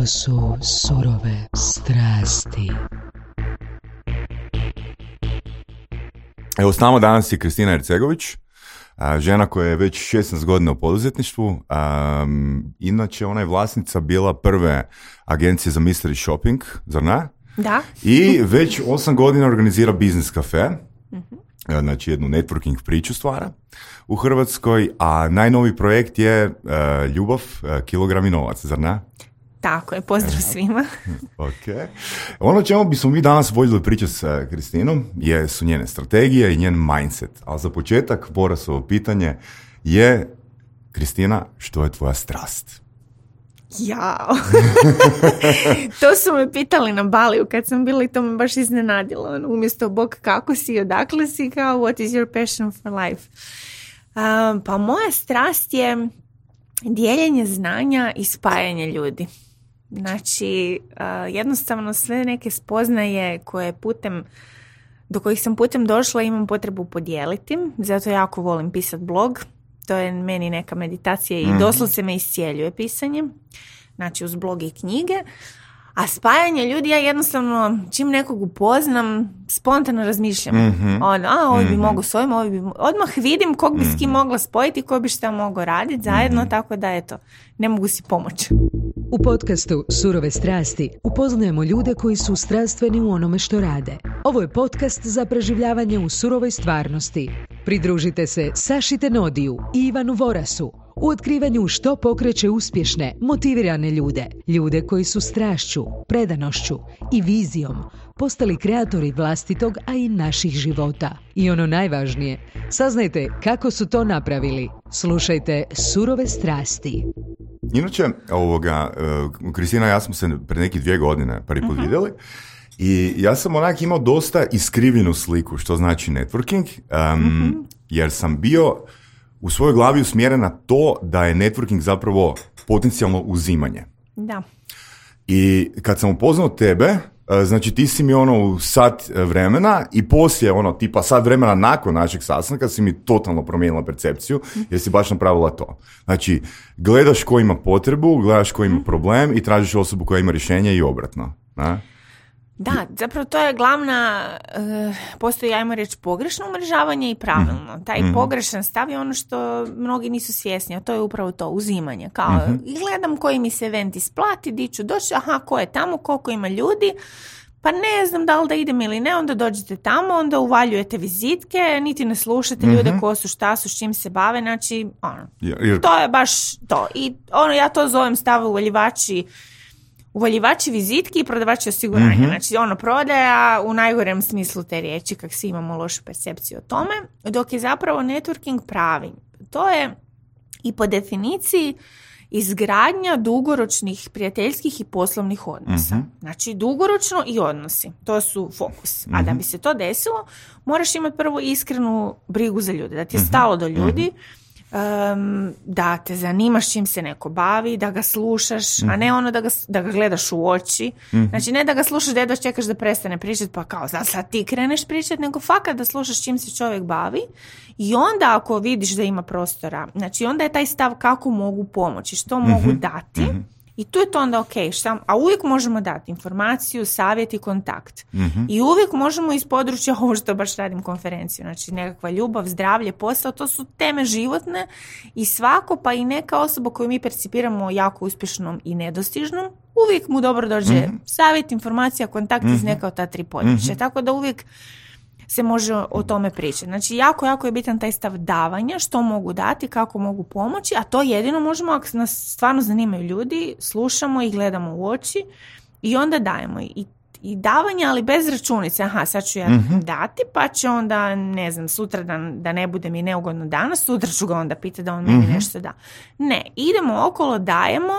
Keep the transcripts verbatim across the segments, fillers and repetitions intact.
Ovo su surove strasti. Evo, s nama danas je Kristina Ercegović, žena koja je već šesnaest godina u poduzetništvu. Um, inače, ona je vlasnica bila prve agencije za mystery shopping, zar ne? Da. I već osam godina organizira Biznis Cafe, mm-hmm. znači jednu networking priču stvara u Hrvatskoj, a najnoviji projekt je uh, Ljubav, uh, kilogram i novac, zar ne? Tako je, pozdrav svima. Ok. Ono čemu bismo mi danas voljeli pričati s Kristinom je, su njene strategije i njen mindset. Ali za početak, Borasovo pitanje je, Kristina, što je tvoja strast? Jao. To su me pitali na Baliju kad sam bila i to me baš iznenadilo. Ono, umjesto Bog kako si, odakle si, kao what is your passion for life? Um, pa moja strast je dijeljenje znanja i spajanje ljudi. Znači, uh, jednostavno sve neke spoznaje koje putem, do kojih sam putem došla imam potrebu podijeliti. Zato jako volim pisati blog. To je meni neka meditacija i doslovce me iscijeljuje pisanje. Znači, uz blog i knjige. A spajanje ljudi, ja jednostavno, čim nekog upoznam, spontano razmišljam. Mm-hmm. Ono, a, ovo bi mm-hmm. mogo s ovim, ovo bi... Odmah vidim kog bi s kim mogla spojiti, ko bi šta mogao raditi zajedno, mm-hmm. tako da, eto, ne mogu si pomoći. U podcastu Surove strasti upoznajemo ljude koji su strastveni u onome što rade. Ovo je podcast za preživljavanje u surovoj stvarnosti. Pridružite se Saši Tenodiju i Ivanu Vorasu u otkrivanju što pokreće uspješne, motivirane ljude. Ljude koji su strašću, predanošću i vizijom postali kreatori vlastitog, a i naših života. I ono najvažnije, saznajte kako su to napravili. Slušajte Surove strasti. Inače, ovoga, uh, Kristina i ja smo se pre neki dvije godine prvi put uh-huh. vidjeli i ja sam onak imao dosta iskrivljenu sliku što znači networking, um, uh-huh. jer sam bio u svojoj glavi usmjeren na to da je networking zapravo potencijalno uzimanje. Da. I kad sam upoznao tebe, znači ti si mi ono u sat vremena i poslije ono tipa sat vremena nakon našeg sastanka si mi totalno promijenila percepciju jer si baš napravila to. Znači gledaš ko ima potrebu, gledaš ko ima problem i tražiš osobu koja ima rješenje i obratno. Ne? Da, zapravo to je glavna, uh, postoji, ajmo reći, pogrešno umrežavanje i pravilno. Taj mm-hmm. pogrešan stav je ono što mnogi nisu svjesni, a to je upravo to, uzimanje. Kao, mm-hmm. gledam koji mi se event isplati, di ću doći, aha, ko je tamo, koliko ima ljudi, pa ne znam da li da idem ili ne, onda dođete tamo, onda uvaljujete vizitke, niti ne slušate mm-hmm. ljude ko su, šta su, s čim se bave, znači, ono, jer... to je baš to. I ono, ja to zovem stav uvaljivači Uvaljivači vizitki i prodavači osiguranja. Mm-hmm. Znači, ono, prodaja u najgorem smislu te riječi, kak svi imamo lošu percepciju o tome, dok je zapravo networking pravi. To je i po definiciji izgradnja dugoročnih prijateljskih i poslovnih odnosa. Mm-hmm. Znači, dugoročno i odnosi. To su fokus. Mm-hmm. A da bi se to desilo, moraš imati prvo iskrenu brigu za ljude. Da ti je mm-hmm. stalo do ljudi, Um, da te zanimaš čim se neko bavi, da ga slušaš, mm. a ne ono da ga, da ga gledaš u oči. Mm. Znači ne da ga slušaš, da jedva čekaš da prestane pričati pa kao sad, sad ti kreneš pričati, nego fakat da slušaš čim se čovjek bavi i onda ako vidiš da ima prostora, znači onda je taj stav kako mogu pomoći, što mm-hmm. mogu dati. Mm-hmm. I tu je to onda ok, šta, a uvijek možemo dati informaciju, savjet i kontakt. Mm-hmm. I uvijek možemo iz područja, ovo što baš radim konferenciju, znači nekakva ljubav, zdravlje, posao, to su teme životne i svako, pa i neka osoba koju mi percipiramo jako uspješnom i nedostižnom, uvijek mu dobro dođe mm-hmm. savjet, informacija, kontakt mm-hmm. iz neka od ta tri područja. Mm-hmm. Tako da uvijek se može o tome pričati. Znači, jako, jako je bitan taj stav davanja, što mogu dati, kako mogu pomoći, a to jedino možemo ako nas stvarno zanimaju ljudi, slušamo i gledamo u oči i onda dajemo. I, i davanje, ali bez računice. Aha, sad ću ja mm-hmm. dati, pa će onda, ne znam, sutra da, da ne bude mi neugodno danas, sutra ću ga onda pitati da on meni mm-hmm. nešto da. Ne, idemo okolo, dajemo,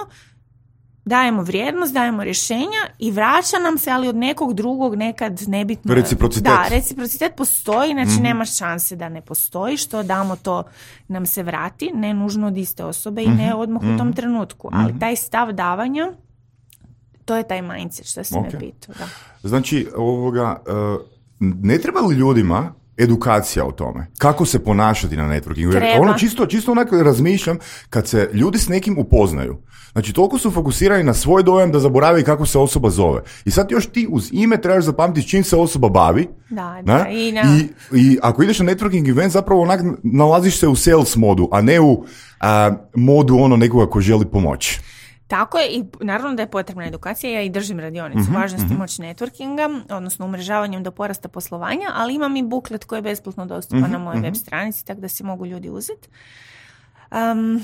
dajemo vrijednost, dajemo rješenja i vraća nam se, ali od nekog drugog nekad nebitno. Reciprocitet. Da, reciprocitet postoji, znači mm-hmm. nemaš šanse da ne postoji, što damo to nam se vrati, ne nužno od iste osobe i mm-hmm. ne odmah mm-hmm. u tom trenutku, ali mm-hmm. taj stav davanja, to je taj mindset što si okay. me pitao. Da. Znači, ovoga, uh, ne treba li ljudima edukacija o tome. Kako se ponašati na networkingu. Jer Treba. ono čisto, čisto onako razmišljam kad se ljudi s nekim upoznaju. Znači, toliko su fokusirani na svoj dojam da zaborave kako se osoba zove. I sad još ti uz ime trebaš zapamtiti čim se osoba bavi. Da, da. I, na... I, I ako ideš na networking event, zapravo onak nalaziš se u sales modu, a ne u a, modu ono nekoga ko želi pomoći. Tako je, i naravno da je potrebna edukacija, ja i držim radionicu mm-hmm, važnosti mm-hmm. moći networkinga, odnosno umrežavanjem do porasta poslovanja, ali imam i buklet koji je besplatno dostupan mm-hmm, na mojoj mm-hmm. web stranici, tako da si mogu ljudi uzeti. Um,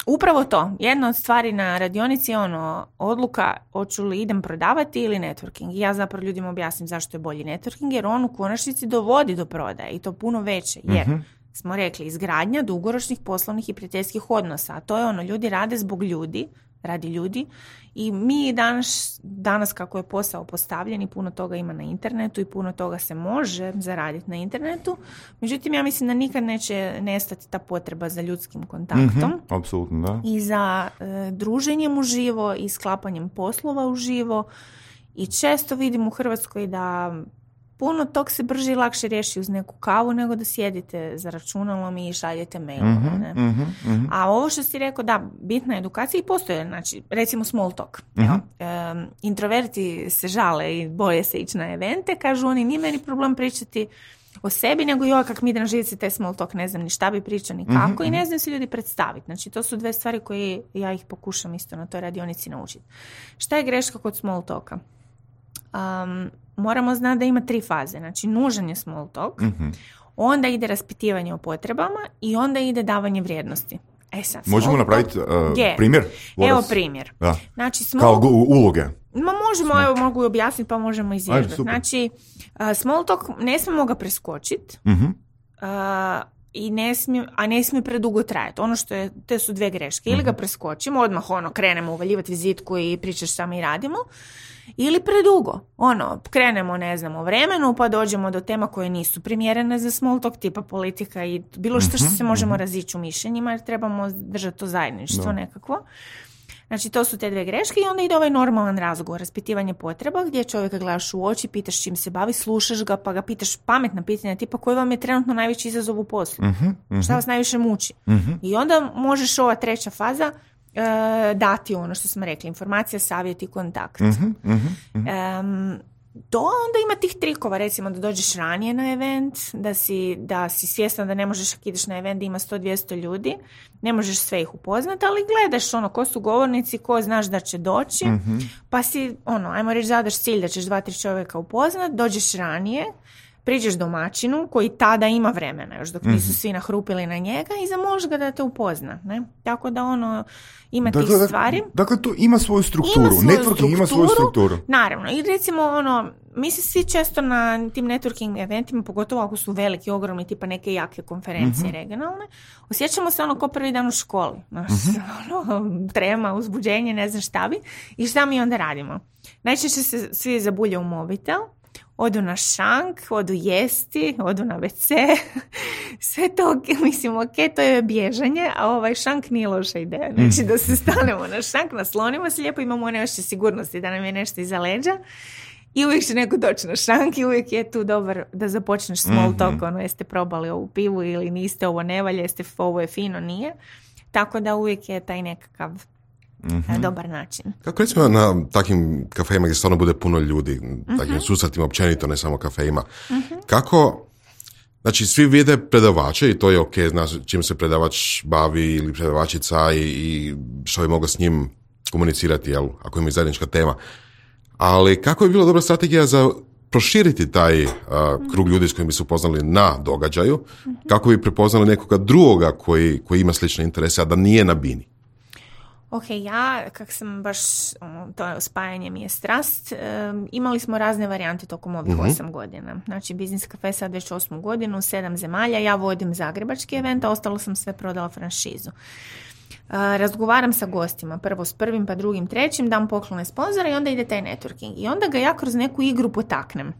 upravo to, jedna od stvari na radionici je ono, odluka hoću li idem prodavati ili networking. I ja zapravo ljudima objasnim zašto je bolji networking, jer on u konačnici dovodi do prodaje i to puno veće, jer mm-hmm. smo rekli, izgradnja dugoročnih poslovnih i prijateljskih odnosa, a to je ono, ljudi rade zbog ljudi, radi ljudi i mi danas, danas kako je posao postavljen i puno toga ima na internetu i puno toga se može zaraditi na internetu, međutim ja mislim da nikad neće nestati ta potreba za ljudskim kontaktom mm-hmm, apsolutno, da. I za e, druženjem uživo i sklapanjem poslova uživo i često vidim u Hrvatskoj da puno tog se brže i lakše riješi uz neku kavu nego da sjedite za računalom i šaljete mailove. Mm-hmm, ne? mm-hmm, mm-hmm. A ovo što si rekao, da, bitna edukacija i postoje, znači, recimo small talk. Mm-hmm. Um, introverti se žale i boje se ići na evente, kažu oni, nije meni problem pričati o sebi, nego joj, kak mi ide na živci taj small talk, ne znam ni šta bi pričao, ni kako, mm-hmm. i ne znam se ljudi predstaviti. Znači, to su dve stvari koje ja ih pokušam isto na toj radionici naučiti. Šta je greška kod small talka? Um, moramo znati da ima tri faze. Znači, nužan je small talk, mm-hmm. onda ide raspitivanje o potrebama i onda ide davanje vrijednosti. E sad, možemo napraviti uh, primjer? Voras. Evo primjer. Da. Znači, small... Kao uloge. Ma možemo, evo, mogu objasniti pa možemo izvježbati. Znači, uh, small talk ne smijemo ga preskočiti, mm-hmm. uh, i ne smije, a ne smije predugo trajati. Ono što je, te su dve greške. Ili ga preskočimo, odmah ono, krenemo uvaljivati vizitku i pričaš šta mi radimo, ili predugo. Ono, krenemo, ne znam, o vremenu, pa dođemo do tema koje nisu primjerene za small talk, tipa politika i bilo što što se možemo razići u mišljenjima, jer trebamo držati to zajedništvo no. nekakvo. Znači, to su te dve greške i onda ide ovaj normalan razgovor, raspitivanje potreba, gdje čovjeka gledaš u oči, pitaš čim se bavi, slušaš ga, pa ga pitaš pametna pitanja, tipa koji vam je trenutno najveći izazov u poslu, uh-huh, uh-huh. šta vas najviše muči. Uh-huh. I onda možeš ova treća faza uh, dati ono što smo rekli, informacija, savjet i kontakt. Uh-huh, uh-huh. Um, to onda ima tih trikova, recimo da dođeš ranije na event, da si, da si svjestan da ne možeš ako ideš na event da ima sto do dvjesto ljudi, ne možeš sve ih upoznati, ali gledaš ono ko su govornici, ko znaš da će doći, mm-hmm. pa si, ono, ajmo reći zadaš cilj da ćeš dva, tri čovjeka upoznat, dođeš ranije, priđeš domaćinu koji tada ima vremena, još dok mm-hmm. nisu svi nahrupili na njega i zamoliš ga da te upozna. Ne? Tako da ono, ima dakle, tih stvari. Dakle, to ima svoju strukturu. Ima svoju networking strukturu, ima svoju strukturu. Naravno. I recimo, ono, mi se svi često na tim networking eventima, pogotovo ako su veliki, ogromni, tipa neke jake konferencije mm-hmm. regionalne, osjećamo se ono ko prvi dan u školi. Znaš, mm-hmm. ono, trema, uzbuđenje, ne znam šta bi. I šta mi onda radimo? Najčešće se svi zabulje u mobitel, odu na šank, odu jesti, odu na ve ce, sve to, mislim, ok, to je bježanje, a ovaj šank nije loša ideja. Znači da se stanemo na šank, naslonimo se lijepo, imamo one ošće sigurnosti da nam je nešto iza leđa i uvijek će neko doći na šank i uvijek je tu dobar da započneš small talk, mm-hmm. ono, jeste probali ovu pivu ili niste, ovo ne valja, jeste, ovo je fino, nije. Tako da uvijek je taj nekakav mm-hmm. dobar način. Kako recimo na takim kafejima gdje stvarno bude puno ljudi, mm-hmm. takim susretima općenito, ne samo kafejima, mm-hmm. kako, znači svi vide predavače i to je ok, znaš čim se predavač bavi ili predavačica i, i što bi mogao s njim komunicirati, jel, ako ima zajednička tema. Ali kako je bila dobra strategija za proširiti taj uh, krug ljudi s kojim bi se upoznali na događaju, mm-hmm. kako bi prepoznali nekoga drugoga koji, koji ima slične interese, a da nije na bini? Ok, ja, kak sam baš, to spajanje mi je strast, um, imali smo razne varijante tokom ovih mm-hmm. osam godina. Znači, Biznis Cafe sad već osmu godinu, sedam zemalja, ja vodim zagrebački event, a ostalo sam sve prodala franšizu. Uh, razgovaram sa gostima, prvo s prvim, pa drugim, trećim, dam poklone sponzora i onda ide taj networking. I onda ga ja kroz neku igru potaknem.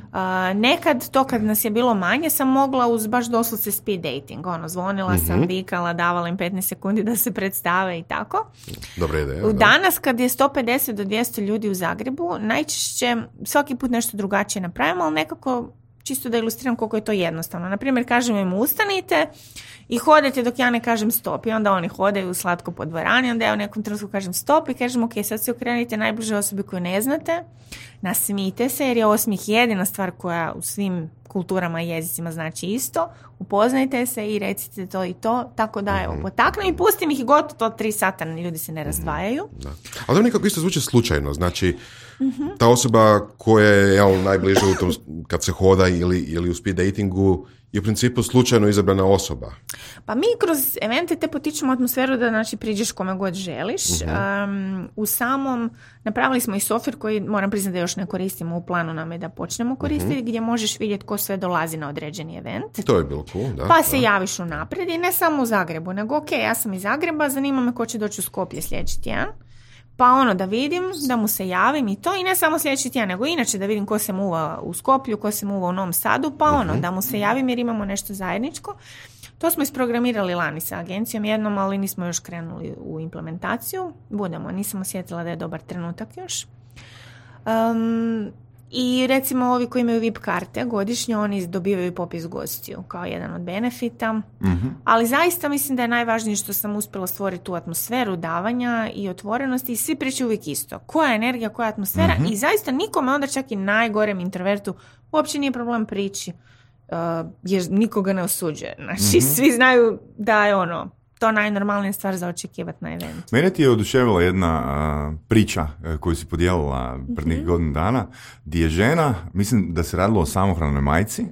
Uh, nekad, to kad nas je bilo manje, sam mogla uz baš doslovce speed dating. Ono, zvonila mm-hmm. sam, vikala, davala im petnaest sekundi da se predstave i tako. Dobra ideja. Danas kad je sto pedeset do dvjesto ljudi u Zagrebu, najčešće svaki put nešto drugačije napravimo, ali nekako čisto da ilustriram koliko je to jednostavno. Naprimjer, kažem im ustanite i hodajte dok ja ne kažem stop. I onda oni hodaju slatko po dvorani, onda ja u nekom trenutku kažem stop i kažem ok, sad se okrenite najbliže osobi koju ne znate, nasmijte se jer je osmijeh jedina stvar koja u svim kulturama i jezicima znači isto, upoznajte se i recite to i to, tako da evo, potaknem i pustim ih i gotovo to tri sata, ljudi se ne razdvajaju. Da. Ali to nekako isto zvuči slučajno, znači mm-hmm. ta osoba koja je ja, najbliže u tom, kad se hoda ili, ili u speed datingu, je u principu slučajno izabrana osoba. Pa mi kroz evente te potičemo atmosferu da znači priđeš kome god želiš. Uh-huh. Um, u samom, napravili smo i software koji moram priznati da još ne koristimo, u planu nam je da počnemo koristiti, uh-huh. gdje možeš vidjeti ko sve dolazi na određeni event. To je bilo cool, da. Pa se da. javiš unaprijed i ne samo u Zagrebu, nego ok, ja sam iz Zagreba, zanima me ko će doći u Skopje sljedeći tjedan. Pa ono da vidim, da mu se javim i to, i ne samo sljedeći tjedan, nego inače da vidim ko se muva u Skoplju, ko se muva u Novom Sadu, pa ono uh-huh. da mu se javim jer imamo nešto zajedničko. To smo isprogramirali lani sa agencijom jednom, ali nismo još krenuli u implementaciju. Budemo, nisam osjetila da je dobar trenutak još. Um, I recimo ovi koji imaju V I P karte godišnje, oni dobivaju popis gostiju kao jedan od benefita. Mm-hmm. Ali zaista mislim da je najvažnije što sam uspjela stvoriti tu atmosferu davanja i otvorenosti i svi pričaju uvijek isto. Koja je energija, koja je atmosfera mm-hmm. i zaista nikome onda čak i najgorem introvertu uopće nije problem prići uh, jer nikoga ne osuđuje. Znači mm-hmm. svi znaju da je ono to najnormalnija stvar za očekivati na eventu. Mene ti je oduševila jedna uh, priča uh, koju si podijelila pred nekih mm-hmm. godinu dana, gdje je žena, mislim da se radilo o samohranoj majci,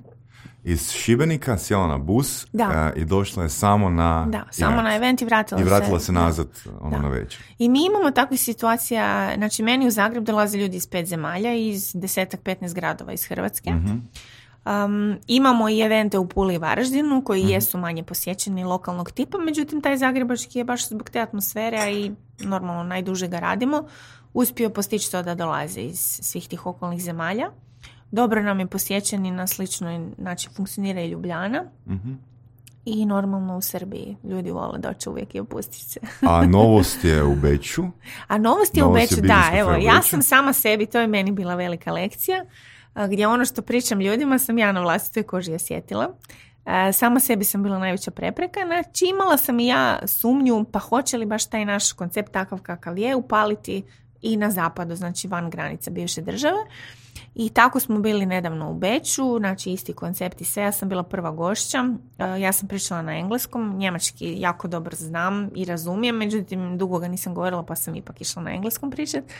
iz Šibenika sjela na bus uh, i došla je samo na da, samo event. na event i vratila se. I vratila se, se nazad ono na večer. I mi imamo takvih situacija, znači meni u Zagreb dolaze ljudi iz pet zemalja, iz desetak, petnaest gradova iz Hrvatske. Mm-hmm. Um, imamo i evente u Puli i Varaždinu koji mm-hmm. jesu manje posjećeni lokalnog tipa, međutim taj zagrebački je baš zbog te atmosfere, a i normalno najduže ga radimo, uspio postići to da dolaze iz svih tih okolnih zemalja. Dobro nam je posjećeni na sličnoj, znači funkcionira i Ljubljana mm-hmm. i normalno u Srbiji. Ljudi vole doći uvijek i opustiti se. A novost je u Beču? A novost je novost u Beču, da. Evo, ja sam sama sebi, to je meni bila velika lekcija, gdje ono što pričam ljudima sam ja na vlastitoj koži osjetila. Sama sebi sam bila najveća prepreka. Znači imala sam i ja sumnju pa hoće li baš taj naš koncept takav kakav je upaliti i na zapadu, znači van granica bivše države. I tako smo bili nedavno u Beču, znači isti koncept i sve. Ja sam bila prva gošća, ja sam pričala na engleskom, njemački jako dobro znam i razumijem, međutim dugo ga nisam govorila pa sam ipak išla na engleskom pričati.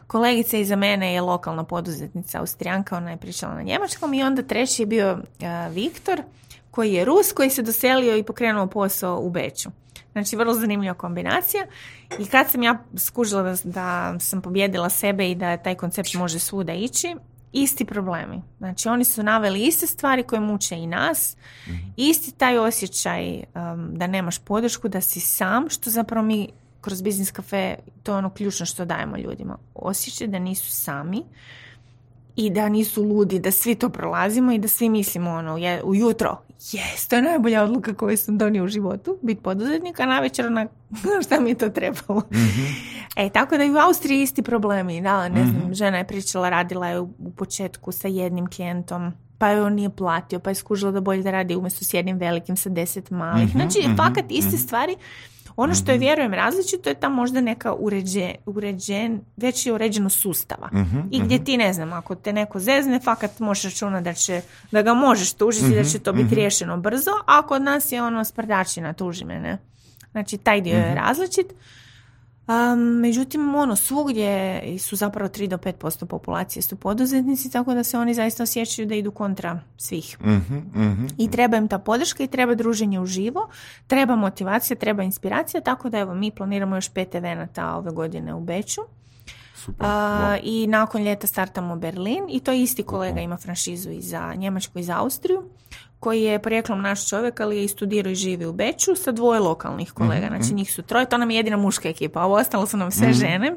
Kolegica iza mene je lokalna poduzetnica Austrijanka, ona je pričala na njemačkom i onda treći je bio uh, Viktor koji je Rus, koji se doselio i pokrenuo posao u Beču. Znači, vrlo zanimljiva kombinacija. I kad sam ja skužila da, da sam pobjedila sebe i da taj koncept može svuda ići, isti problemi. Znači, oni su naveli iste stvari koje muče i nas. Mm-hmm. Isti taj osjećaj um, da nemaš podršku, da si sam, što zapravo mi kroz Biznis Cafe, to je ono ključno što dajemo ljudima. Osjećaj da nisu sami i da nisu ludi, da svi to prolazimo i da svi mislimo ono, je, ujutro, jes, to je najbolja odluka koju sam donio u životu, biti poduzetnik, a navečer na šta mi je to trebalo. Mm-hmm. E, tako da i u Austriji isti problemi. Da, ne znam, mm-hmm. žena je pričala, radila je u, u početku sa jednim klijentom, pa je on nije platio, pa je skužila da bolje da radi umjesto s jednim velikim sa deset malih. Mm-hmm. Znači, mm-hmm. fakat iste mm-hmm. stvari. Ono što je, vjerujem, različito je tam možda neka uređe, uređen, već je uređeno sustava. Mm-hmm, I gdje ti, ne znam, ako te neko zezne, fakat možeš računati da, će, da ga možeš tužiti mm-hmm, i da će to biti mm-hmm. riješeno brzo, a kod nas je ono sprdačina, tuži me, ne? Znači, taj dio mm-hmm. je različit. Um, međutim, ono, svugdje su zapravo tri do pet posto populacije su poduzetnici, tako da se oni zaista osjećaju da idu kontra svih. Mm-hmm, mm-hmm. I treba im ta podrška i treba druženje uživo, treba motivacija, treba inspiracija, tako da evo, mi planiramo još pet evenata ove godine u Beču. Super, uh, wow. I nakon ljeta startamo Berlin i to isti kolega ima franšizu i za Njemačku i za Austriju, koji je porijeklom naš čovjek, ali je i studirao i živi u Beču sa dvoje lokalnih kolega. Mm-hmm. Znači njih su troje, to nam je jedina muška ekipa, a ovo ostalo su nam sve mm-hmm. žene.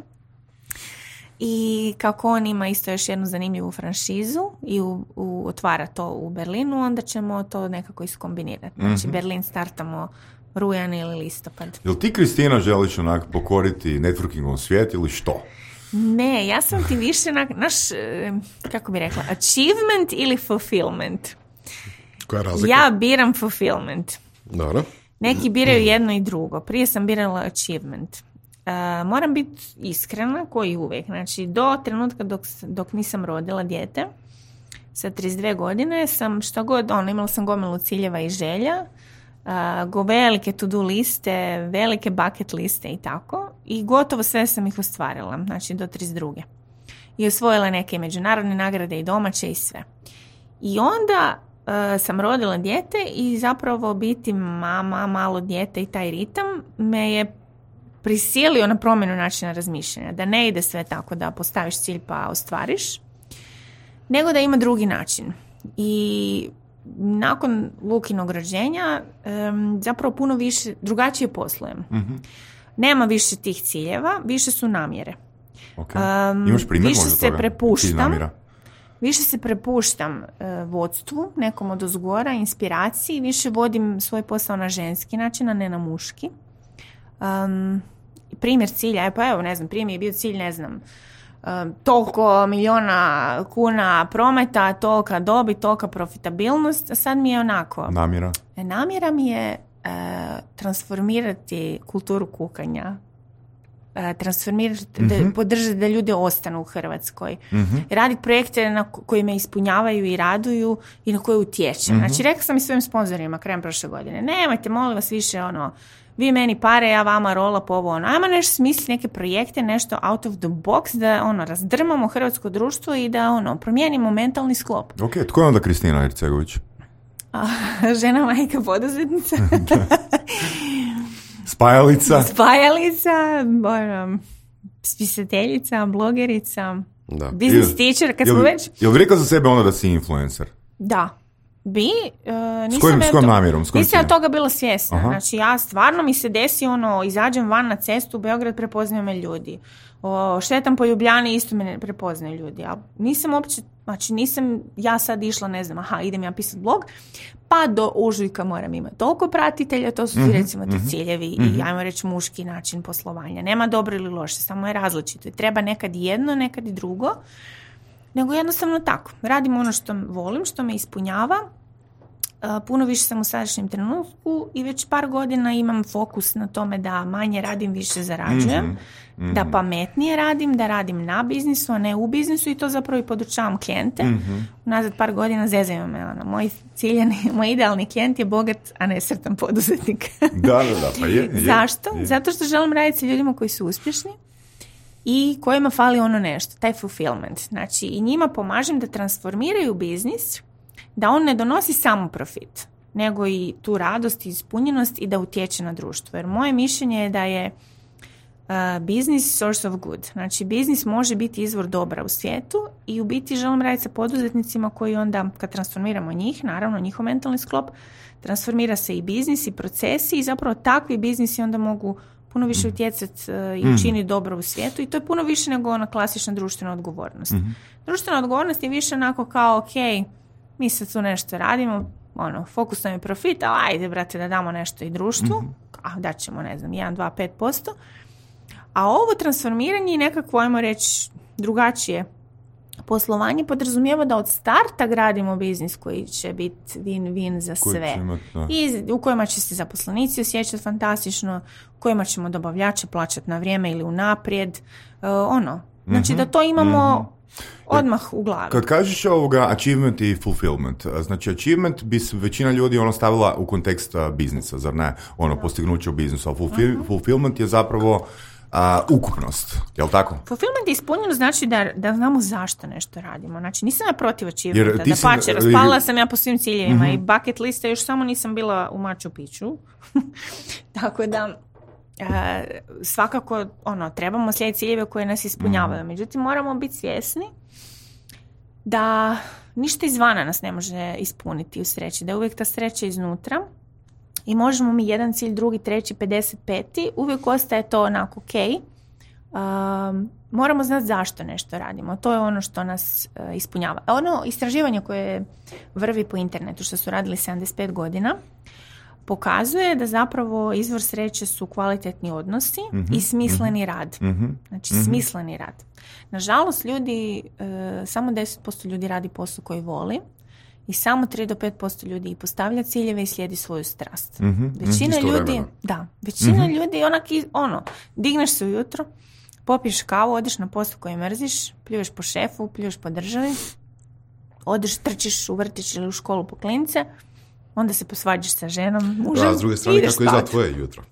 I kako on ima isto još jednu zanimljivu franšizu i u, u, otvara to u Berlinu, onda ćemo to nekako iskombinirati. Znači mm-hmm. Berlin startamo rujan ili listopad. Jel ti, Kristina, želiš onak pokoriti networkingom svijet ili što? Ne, ja sam ti više na, naš, eh, kako bi rekla, achievement ili fulfillment. Koja je razlika? Ja biram fulfillment. Dobro. Neki biraju jedno i drugo. Prije sam birala achievement. Uh, moram biti iskrena, koji uvijek. Znači, do trenutka dok, dok nisam rodila dijete, sa trideset dvije godine, sam što god, ono, imala sam gomilu ciljeva i želja, uh, go velike to-do liste, velike bucket liste i tako. I gotovo sve sam ih ostvarila, znači do trideset druge. I osvojila neke međunarodne nagrade i domaće i sve. I onda uh, sam rodila dijete i zapravo biti mama, malo dijete i taj ritam me je prisilio na promjenu načina razmišljanja. Da ne ide sve tako da postaviš cilj pa ostvariš, nego da ima drugi način. I nakon Lukinog rođenja um, zapravo puno više, drugačije poslujem. Mm-hmm. Nema više tih ciljeva, više su namjere. Okay. Um, Imaš primjer više možda se toga? prepuštam, više se prepuštam uh, vodstvu, nekom od ozgora, inspiraciji, više vodim svoj posao na ženski način, a ne na muški. Um, primjer cilja, pa evo, ne znam, prije mi je bio cilj, ne znam, um, toliko miliona kuna prometa, tolika dobit, tolika profitabilnost, a sad mi je onako. Namjera? Namjera mi je uh, transformirati kulturu kukanja, uh, transformirati, mm-hmm. da, podržati da ljudi ostanu u Hrvatskoj. Mm-hmm. Raditi projekte na koji me ispunjavaju i raduju i na koje utječem. Mm-hmm. Znači, rekla sam i svojim sponzorima krajem prošle godine, nemojte, molim vas, više ono, vi meni pare, ja vama rola po ovo, ono, ajmo nešto smisliti, neke projekte, nešto out of the box, da ono, razdrmamo hrvatsko društvo i da ono, promijenimo mentalni sklop. Ok, tko je onda Kristina Ercegović? A, žena, majka, poduzetnica. Spajalica. Spajalica, ono, spisateljica, blogerica, da. Business teacher, kad smo već... Jel bi rekao za sebe onda da si influencer? Da. Bi, uh, nisam, s kojim, s kojim namjerom? S kojim nisam ja toga bila svjesna. Aha. Znači, ja stvarno mi se desi ono, izađem van na cestu u Beograd, prepoznaju me ljudi. O, šetam po Ljubljani, isto me prepoznaju ljudi. A nisam uopće, znači nisam ja sad išla, ne znam, aha, idem ja pisati blog, pa do ožujka moram imati toliko pratitelja, to su mm-hmm. recimo ti ciljevi mm-hmm. i ajmo reći muški način poslovanja. Nema dobro ili loše, samo je različito. Treba nekad jedno, nekad i drugo. Nego jednostavno tako. Radim ono što volim, što me ispunjava. Puno više sam u sadašnjem trenutku i već par godina imam fokus na tome da manje radim, više zarađujem. Mm-hmm. Da pametnije radim, da radim na biznisu, a ne u biznisu i to zapravo i podučavam klijente. Mm-hmm. Nazad par godina zezaju me. Ono, moj ciljani, moj idealni klijent je bogat, a ne sretan poduzetnik. Da, da, da. Pa je, je, Zašto? Je. Zato što želim raditi sa ljudima koji su uspješni i kojima fali ono nešto, taj fulfillment. Znači, i njima pomažem da transformiraju biznis, da on ne donosi samo profit, nego i tu radost i ispunjenost i da utječe na društvo. Jer moje mišljenje je da je uh, biznis source of good. Znači, biznis može biti izvor dobra u svijetu i u biti želim raditi sa poduzetnicima koji onda, kad transformiramo njih, naravno njihov mentalni sklop, transformira se i biznis i procesi i zapravo takvi biznisi onda mogu puno više utjecati uh, i učiniti dobro u svijetu i to je puno više nego ona klasična društvena odgovornost. Mm-hmm. Društvena odgovornost je više onako kao, ok, mi sad tu nešto radimo, ono, fokus nam je profit, ali ajde, brate, da damo nešto i društvu, mm-hmm. a dat ćemo, ne znam, jedan, dva, pet posto. A ovo transformiranje i nekako, ajmo reći, drugačije poslovanje podrazumijeva da od starta gradimo biznis koji će biti win-win za sve. Imat, I u kojima će se zaposlenici osjećati fantastično, u kojima ćemo dobavljače plaćati na vrijeme ili unaprijed. Uh, ono, znači mm-hmm. da to imamo mm-hmm. odmah u glavi. Kad kažeš ovoga achievement i fulfillment, znači achievement bi većina ljudi ono stavila u kontekst biznisa, zar ne? Ono, postignuće u biznisu, a fulfill, mm-hmm. fulfillment je zapravo Uh, ukupnost, je li tako? Fulfillment je ispunjeno znači da, da znamo zašto nešto radimo. Znači nisam ja protiv achievementa, da pače, raspala sam ja po svim ciljevima uh-huh. i bucket liste, još samo nisam bila u Machu Picchu. Tako da uh, svakako ono, trebamo slijediti ciljeve koje nas ispunjavaju. Uh-huh. Međutim, moramo biti svjesni da ništa izvana nas ne može ispuniti u sreći, da je uvijek ta sreća iznutra. I možemo mi jedan cilj, drugi, treći, pedeset peti, uvijek ostaje to onako ok. Um, moramo znati zašto nešto radimo. To je ono što nas uh, ispunjava. Ono istraživanje koje vrvi po internetu, što su radili sedamdeset pet godina, pokazuje da zapravo izvor sreće su kvalitetni odnosi mm-hmm. i smisleni rad. Mm-hmm. Znači mm-hmm. smisleni rad. Nažalost, ljudi, e, samo deset posto ljudi radi posao koji voli i samo tri do pet posto ljudi postavlja ciljeve i slijedi svoju strast. Mm-hmm. Većina Isto ljudi, vremena. da, većina mm-hmm. ljudi onak, ono, digneš se ujutro, popiješ kavu, odeš na posao koji mrziš, pljuješ po šefu, pljuješ po državi, odeš, trčiš u vrtić ili u školu po klince, onda se posvađaš sa ženom, mužem, A s druge strane, kako spat. izgleda tvoje jutro?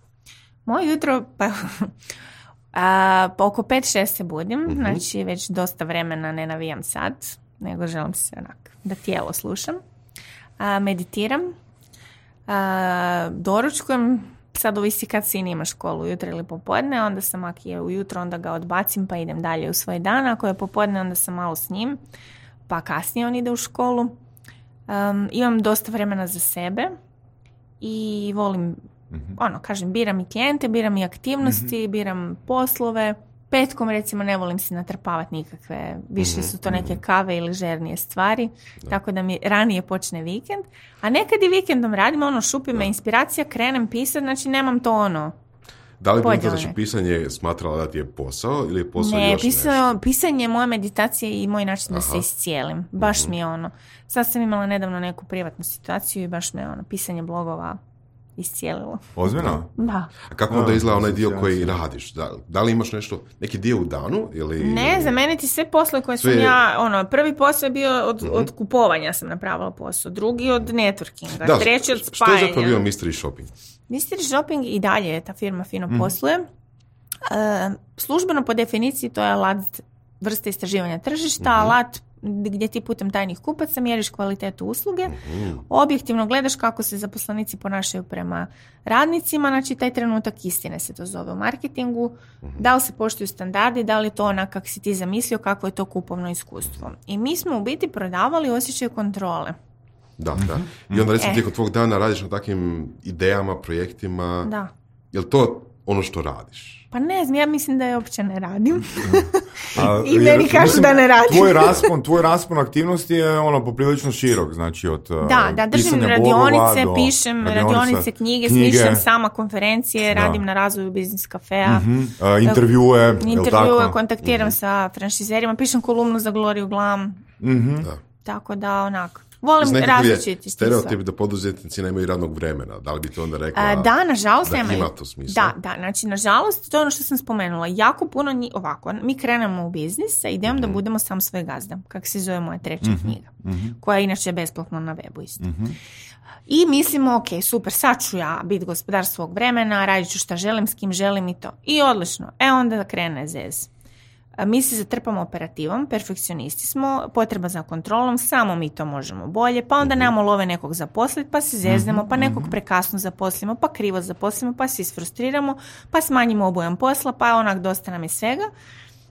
Moje jutro, pa, a, pa oko pet šest se budim, uh-huh. znači već dosta vremena ne navijam sat, nego želim se onak, da tijelo slušam. A, meditiram, a, doručkujem, sad ovisi kad sin ima školu, ujutro ili popodne, onda sam ako je ujutro, onda ga odbacim pa idem dalje u svoj dan, ako je popodne, onda sam malo s njim, pa kasnije on ide u školu. Um, imam dosta vremena za sebe i volim, mm-hmm. ono, kažem, biram i klijente, biram i aktivnosti, mm-hmm. biram poslove. Petkom, recimo, ne volim si natrpavati nikakve, više mm-hmm. su to neke kave ili žernije stvari, da. Tako da mi ranije počne vikend. A nekad i vikendom radim, ono, šupi me inspiracija, krenem pisati, znači nemam to ono, da li bi to znači pisanje smatrala da ti je posao ili je posao ne, još pisao, nešto? Pisanje je moja meditacija i moj način da Aha. se iscijelim. Baš mm-hmm. mi je ono. Sad sam imala nedavno neku privatnu situaciju i baš me ono, pisanje blogova iscijelilo. Ozbiljno? Da. A kako onda izgleda onaj dio koji radiš? Da, da li imaš nešto, neki dio u danu? Ili, ne, ili... za mene ti sve poslove koje sve... sam ja, ono, prvi posao je bio od, mm-hmm. od kupovanja sam napravila posao, drugi od networkinga, da, treći od spajanja. Što je zapravo bio Mystery Shopping? Mystery Shopping i dalje je ta firma fino mm. posluje. Uh, službeno po definiciji to je alat vrste istraživanja tržišta, mm-hmm. alat gdje ti putem tajnih kupaca mjeriš kvalitetu usluge, mm-hmm. objektivno gledaš kako se zaposlenici ponašaju prema radnicima, znači taj trenutak istine se to zove u marketingu, mm-hmm. da li se poštuju standardi, da li je to onak kako si ti zamislio, kako je to kupovno iskustvo. I mi smo u biti prodavali osjećaj kontrole. Da, da. I onda recimo e. tijekom tvog dana radiš na takvim idejama, projektima. Da. Je li to ono što radiš? Pa ne znam, ja mislim da je uopće ne radim. A, I meni kažu da ne radim. Tvoj raspon, tvoj raspon aktivnosti je ono poprilično širok, znači od da, da, držim radionice, pišem radionice, knjige, knjige, smišljam sama konferencije, da. Radim na razvoju biznis kafea. Mm-hmm. Uh, intervjue, intervjue, kontaktiram mm-hmm. sa franšizerima, pišem kolumnu za Gloriju Glam. Mm-hmm. Da. Tako da, onako. Volim različiti. Stereotip da poduzetnici nemaju radnog vremena. Da li bi to onda rekla? A, da, nažalost da nema. Ima to smisla. Da, da, znači nažalost to je ono što sam spomenula. Jako puno njih, ovako, mi krenemo u biznis sa idejom mm-hmm. da budemo sam svoj gazda. Kako se zove moja treća mm-hmm. knjiga. Mm-hmm. Koja je inače besplatno na webu isto. Mm-hmm. I mislimo, ok, super, sad ću ja biti gospodar svog vremena, radit ću šta želim, s kim želim i to. I odlično. E onda krene zez. Mi se zatrpamo operativom, perfekcionisti smo, potreba za kontrolom, samo mi to možemo bolje, pa onda nemamo love nekog zaposliti, pa se zeznemo, pa nekog prekasno zaposlimo, pa krivo zaposlimo, pa se isfrustriramo, pa smanjimo obujam posla, pa onak dosta nam je svega.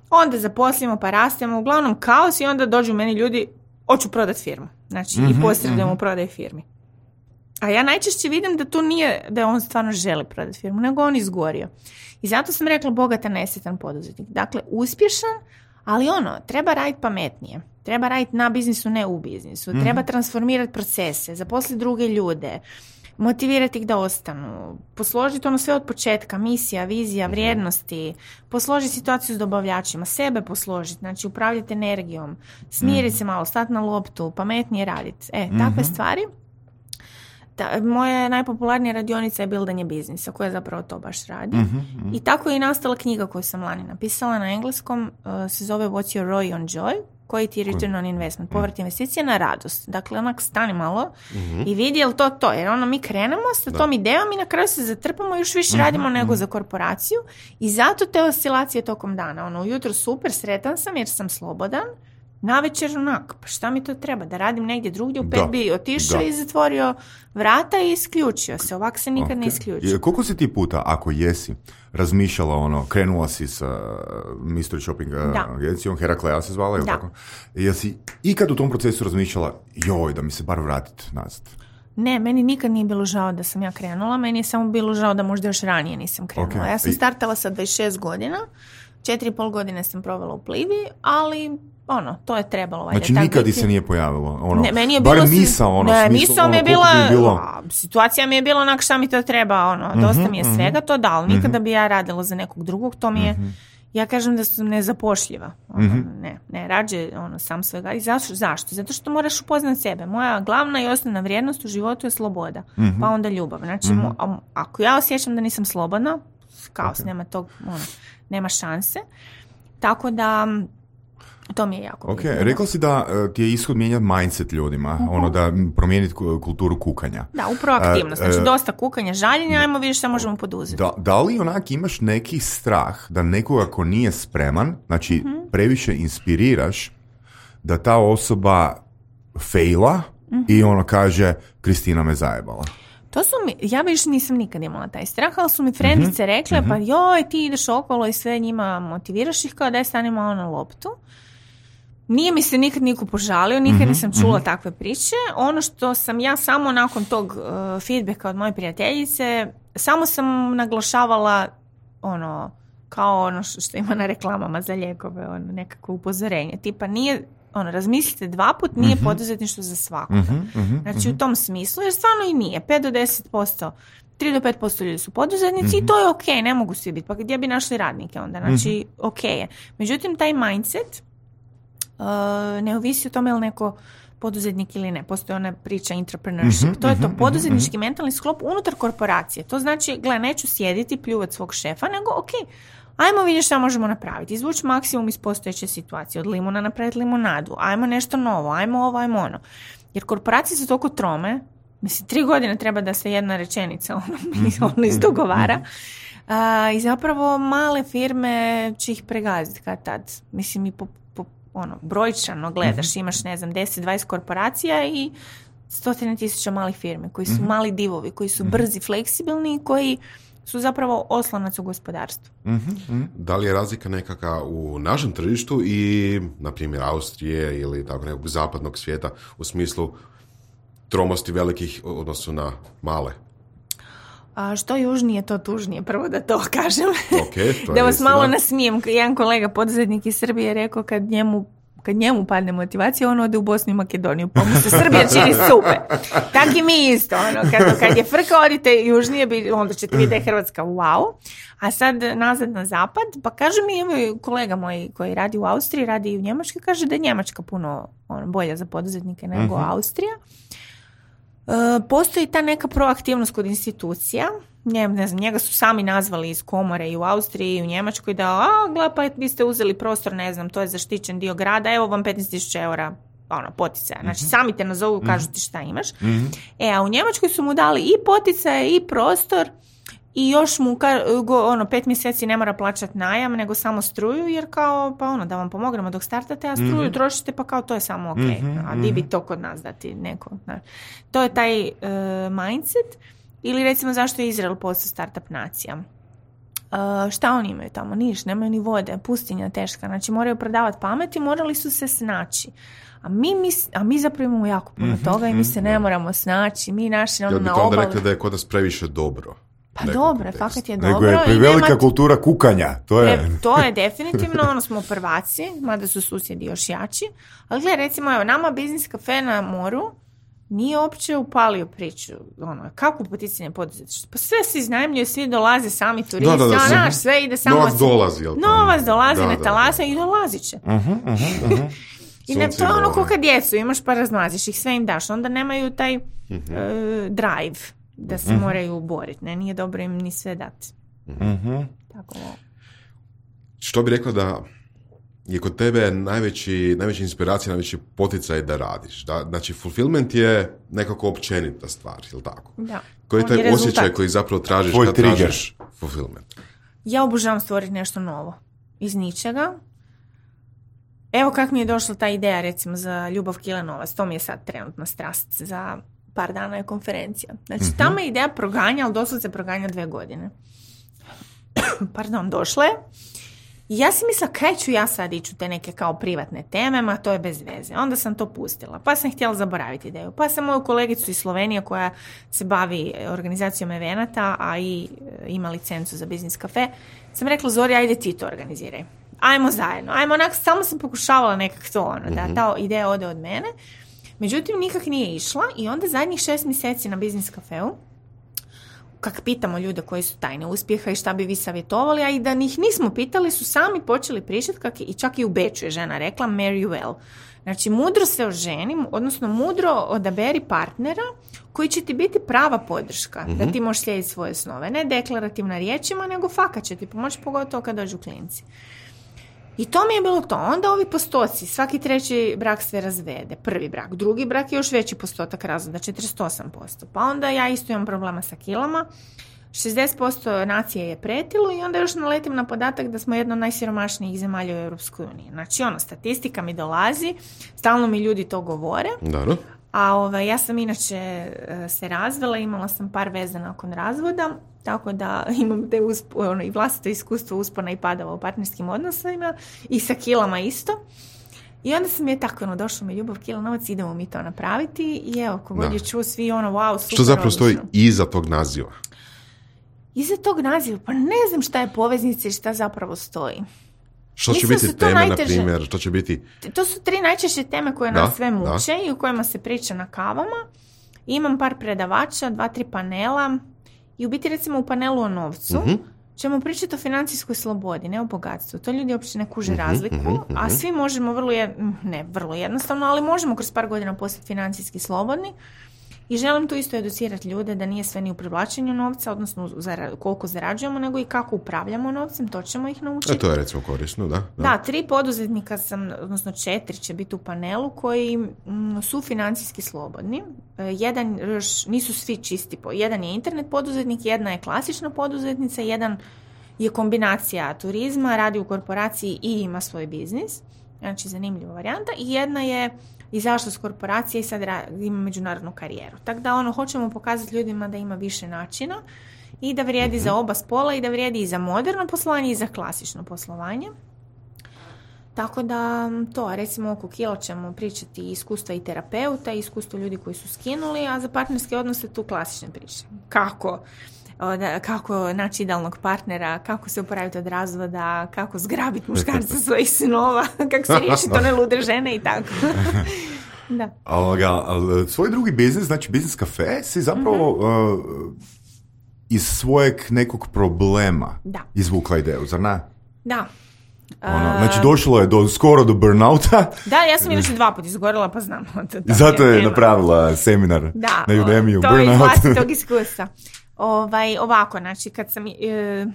Onda zaposlimo, pa rastemo, uglavnom kaos i onda dođu meni ljudi, hoću prodati firmu. Znači, mm-hmm, i posredujemo mm-hmm. u prodaj firmi. A ja najčešće vidim da tu nije da on stvarno želi prodati firmu, nego on izgorio. I zato sam rekla bogata nesretan poduzetnik. Dakle, uspješan, ali ono, treba raditi pametnije. Treba raditi na biznisu, ne u biznisu. Mm-hmm. Treba transformirati procese, zaposliti druge ljude, motivirati ih da ostanu, posložiti ono sve od početka, misija, vizija, vrijednosti, posložiti situaciju s dobavljačima, sebe posložiti, znači upravljati energijom, smiriti mm-hmm. se malo, stati na loptu, pametnije raditi. E, takve mm-hmm. stvari. Da, moja najpopularnija radionica je bildanje biznisa, koja zapravo to baš radi. Mm-hmm, mm-hmm. I tako je i nastala knjiga koju sam lani napisala na engleskom, uh, se zove What's your R O I on joy? Koji ti je return on investment? Povrat investicije na radost. Dakle, onak stani malo mm-hmm. i vidi je li to to. Jer ono mi krenemo sa tom idejom i na kraju se zatrpamo i još više mm-hmm. radimo nego za korporaciju. I zato te oscilacije tokom dana. Ono, ujutro super, sretan sam jer sam slobodan. Navečer onak, pa šta mi to treba? Da radim negdje drugdje, u pet bi otišao i zatvorio vrata i isključio se. Ovak se nikad okay. ne isključio. Koliko si ti puta, ako jesi, razmišljala ono, krenula si sa Mystery Shopping agencijom, Heraklea se zvala, je tako? Jesi ikad u tom procesu razmišljala, joj, da mi se bar vratiti nazad? Ne, meni nikad nije bilo žao da sam ja krenula, meni je samo bilo žao da možda još ranije nisam krenula. Okay. Ja sam startala sa dvadeset šest godina, četiri i pol godine sam provela u Plivi, ali ono, to je trebalo. Valjda, znači tak nikad biti. Se nije pojavilo? Ono, ne, meni je bilo... Bar misao, ono, ne, smislu, misao ono, mi je bila, bi bilo... a, situacija mi je bila onak šta mi to treba, ono, mm-hmm, dosta mi je mm-hmm. svega to dalo, nikada mm-hmm. bi ja radila za nekog drugog, to mi je, mm-hmm. ja kažem da sam nezapošljiva, ono, mm-hmm. ne, ne, rađe, ono, sam svega. I zašto? Zašto? Zato što moraš upoznati sebe. Moja glavna i osnovna vrijednost u životu je sloboda, mm-hmm. pa onda ljubav. Znači, mm-hmm. mo, ako ja osjećam da nisam slobodna, kaos, okay. nema tog, ono, nema šanse, tako da to mi je jako Ok, bitno. rekla si da uh, ti je ishod mijenjati mindset ljudima, uh-huh. ono da promijeniti kulturu kukanja. Da, u proaktivnost, znači uh, dosta kukanja, žaljenja, ajmo vidjeti šta možemo poduzeti. Da, da li onak imaš neki strah da nekoga ko nije spreman, znači uh-huh. previše inspiriraš da ta osoba faila uh-huh. i ono kaže Kristina me zajebala? To su mi, ja više nisam nikad imala taj strah, ali su mi frendice rekle, uh-huh. pa joj, ti ideš okolo i sve njima motiviraš ih kao da je stanimo ono na loptu. Nije mi se nikad niko požalio, nikad mm-hmm, nisam čula mm-hmm. takve priče. Ono što sam ja samo nakon tog uh, feedbacka od moje prijateljice, samo sam naglašavala ono, kao ono što ima na reklamama za lijekove, ono, nekako upozorenje. Tipa nije, ono, razmislite dva put, nije mm-hmm. poduzetništvo za svakoga. Mm-hmm, znači mm-hmm. u tom smislu, jer stvarno i nije. pet do deset posto, tri do pet posto ljudi su poduzetnici mm-hmm. i to je ok, ne mogu svi biti. Pa gdje bi našli radnike onda? Znači, mm-hmm. ok je. Međutim, taj mindset Uh, ne ovisi o tome je li neko poduzetnik ili ne. Postoji ona priča entrepreneurship. Mm-hmm, to je to poduzetnički mm-hmm. mentalni sklop unutar korporacije. To znači, gle, neću sjediti, pljuvati svog šefa, nego ok, ajmo vidjeti šta možemo napraviti. Izvući maksimum iz postojeće situacije. Od limuna napraviti limunadu. Ajmo nešto novo, ajmo ovo, ajmo ono. Jer korporacije su toliko trome, mislim, tri godine treba da se jedna rečenica ono, mm-hmm. ono izdogovara. Uh, I zapravo male firme će ih pregaziti kad tad. Mislim, i po ono, brojčano gledaš, mm-hmm. imaš, ne znam, deset dvadeset korporacija i stotine tisuća malih firmi koji su mm-hmm. mali divovi, koji su brzi, fleksibilni i koji su zapravo oslonac u gospodarstvu. Mm-hmm. Da li je razlika nekaka u našem tržištu i, na primjer, Austrije ili tako nekog zapadnog svijeta u smislu tromosti velikih u odnosu na male? A što južnije, to tužnije. Prvo da to kažem. Okay, to da vas malo nasmijem. Jedan kolega poduzetnik iz Srbije je rekao kad njemu, kad njemu padne motivacija, on ode u Bosnu i Makedoniju. Pa mu se Srbija čini super. Tako i mi isto. Ono, kad, kad je frka, odite južnije, onda ćete vidjeti da je Hrvatska wow. A sad nazad na zapad, pa kaže mi, evo kolega moj koji radi u Austriji, radi i u Njemačkoj, kaže da je Njemačka puno ono, bolja za poduzetnike nego uh-huh. Austrija. Uh, postoji ta neka proaktivnost kod institucija. Ne, ne znam, njega su sami nazvali iz komore i u Austriji i u Njemačkoj da, a, gle, pa vi ste uzeli prostor, ne znam, to je zaštićen dio grada, evo vam petnaest tisuća eura ono, poticaja. Znači, mm-hmm. sami te nazovu, mm-hmm. kažu ti šta imaš. Mm-hmm. E, a u Njemačkoj su mu dali i poticaje i prostor i još mu go, ono, pet mjeseci ne mora plaćati najam, nego samo struju, jer kao, pa ono, da vam pomognemo dok startate, a struju mm-hmm. trošite, pa kao to je samo ok. Mm-hmm. A di bi to kod nas dati neko? Znači, to je taj uh, mindset. Ili recimo zašto je Izrael postao startup nacija. Uh, šta oni imaju tamo? Niš, nemaju ni vode, pustinja teška. Znači moraju prodavati pamet i morali su se snaći. A mi, mi, a mi zapravo imamo jako puno mm-hmm, toga i mi se ne moramo snaći. Mi naši ono, ja na obali... obali... rekli da je kod nas previše dobro. Pa dobro, kontekst. Fakat je dobro. Nego je prevelika nemat... kultura kukanja. To je... E, to je definitivno, ono smo prvaci, mada su susjedi još jači. Ali gledaj, recimo, evo, nama biznis kafe na moru nije uopće upalio priču, ono, kako poticanje poduzetništva. Pa sve se iznajmljuje, svi dolaze, sami turisti, da, da, da, a naš, sve ide samo... Novac dolazi, jel' Novac dolazi, da, ne talasa i dolazit će. Uh-huh, uh-huh, uh-huh. I ne, to je ono ko kad djecu, imaš pa razmaziš ih, sve im daš, onda nemaju taj uh-huh. uh, drive da se uh-huh. moraju boriti, ne, nije dobro im ni sve dati. Uh-huh. Tako. Što bi rekla da je kod tebe najveći, najveća inspiracija, najveći poticaj da radiš. Da, znači, fulfillment je nekako općenita stvar, je li tako? Da. Koji je taj je osjećaj koji zapravo tražiš Tvoj kad trigger. tražiš fulfillment? Ja obožavam stvoriti nešto novo. Iz ničega. Evo kako mi je došla ta ideja, recimo, za Ljubav Kilenovac. To mi je sad trenutna strast. Za par dana je konferencija. Znači, mm-hmm. tamo je ideja proganja, ali doslovce proganja dve godine. Pardon, došla je. I ja si mislila, kaj ću ja sad ići u te neke kao privatne teme, ma to je bez veze. Onda sam to pustila. Pa sam htjela zaboraviti ideju. Pa sam moju kolegicu iz Slovenije koja se bavi organizacijom evenata, a i ima licencu za biznis kafe, sam rekla, Zori, ajde ti to organiziraj. ajmo zajedno, ajmo onak, samo sam pokušavala nekak to, ono, da ta ideja ode od mene. Međutim, nikak nije išla i onda zadnjih šest mjeseci na Biznis kafeu, kak pitamo ljude koji su tajne uspjeha i šta bi vi savjetovali, a i da njih nismo pitali, su sami počeli pričati, kak i čak i u Beču je žena rekla, marry well. Znači, mudro se oženi, odnosno mudro odaberi partnera koji će ti biti prava podrška, mm-hmm. da ti možeš slijediti svoje snove. Ne deklarativna riječima, nego fakat će ti pomoći, pogotovo kad dođu klinci. I to mi je bilo to. Onda ovi postoci, svaki treći brak se razvede, prvi brak, drugi brak je još veći postotak razvoda, četrdeset osam posto. Pa onda ja isto imam problema sa kilama, šezdeset posto nacije je pretilo i onda još naletim na podatak da smo jedna od najsiromašnijih zemalja u Europskoj uniji. Znači, ono, statistika mi dolazi, stalno mi ljudi to govore. Dobro. A ovaj, ja sam inače se razvela, imala sam par veza nakon razvoda, tako da imam te usp- ono, i vlastito iskustvo uspona i padova u partnerskim odnosima i sa kilama isto. I onda sam je tako, ono, došlo mi ljubav, kila, novac, idemo mi to napraviti i evo, kogod je čuo svi ono, wow, super. Što zapravo odlično. stoji iza tog naziva? Iza tog naziva, pa ne znam šta je poveznica i šta zapravo stoji. Što će Mislim biti su to teme, na najteže. primjer? Što će biti... To su tri najčešće teme koje Da, nas sve muče da. i u kojima se priča na kavama. Imam par predavača, dva, tri panela i u biti recimo u panelu o novcu Mhm. ćemo pričati o financijskoj slobodi, ne o bogatstvu. To ljudi uopće ne kuže Mhm, razliku, mhm, mhm. a svi možemo vrlo, jed... ne vrlo jednostavno, ali možemo kroz par godina postati financijski slobodni. I želim tu isto educirati ljude da nije sve ni u privlačenju novca, odnosno zara- koliko zarađujemo, nego i kako upravljamo novcem, to ćemo ih naučiti. E, to je recimo korisno, da. da. Da, tri poduzetnika sam, odnosno četiri će biti u panelu koji mm, su financijski slobodni. E, jedan još nisu svi čisti. Po, jedan je internet poduzetnik, jedna je klasična poduzetnica, jedan je kombinacija turizma, radi u korporaciji i ima svoj biznis. Znači, zanimljiva varijanta. I jedna je izašla s korporacije i sad ra- ima međunarodnu karijeru. Tako da, ono, hoćemo pokazati ljudima da ima više načina i da vrijedi za oba spola i da vrijedi i za moderno poslovanje i za klasično poslovanje. Tako da to, recimo oko kila ćemo pričati i iskustva i terapeuta i iskustva ljudi koji su skinuli, a za partnerske odnose tu klasične priče. Kako? O, da, kako naći idealnog partnera, kako se oporaviti od razvoda, kako zgrabiti muškarca svojih sinova, kako se riješiti one lude žene i tako. Da. Ovoga, ali svoj drugi biznis, znači Biznis kafe, si zapravo Mhm. uh, iz svojeg nekog problema Da. izvukla ideju, zar ne? Da. Ono, znači došlo je do, skoro do burnouta, Da, ja sam inače dva put izgorila, pa znam. To, to zato je tema. napravila seminar Da, na Udemiju, to je iz burnout. vlastitog iskustva. Ovaj, ovako, znači, kad sam... E,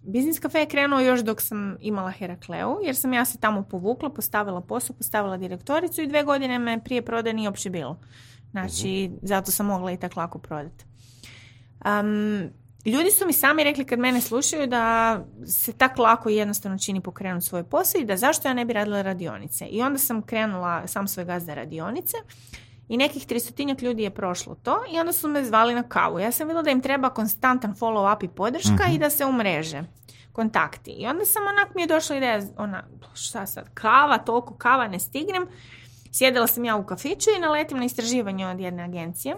Biznis kafe je krenuo još dok sam imala Herakleu, jer sam ja se tamo povukla, postavila posao, postavila direktoricu i dve godine me prije prodaje nije uopće bilo. Znači, zato sam mogla i tako lako prodati. Um, ljudi su mi sami rekli kad mene slušaju da se tako lako i jednostavno čini pokrenuti svoj posao i da zašto ja ne bi radila radionice. I onda sam krenula sam svoj gazda radionice i nekih tristotinjak ljudi je prošlo to i onda su me zvali na kavu. Ja sam vidjela da im treba konstantan follow up i podrška mm-hmm. i da se umreže kontakti. I onda sam onak mi je došla ideja, ona, šta sad, kava, toliko kava ne stignem. Sjedila sam ja u kafiću i naletim na istraživanje od jedne agencije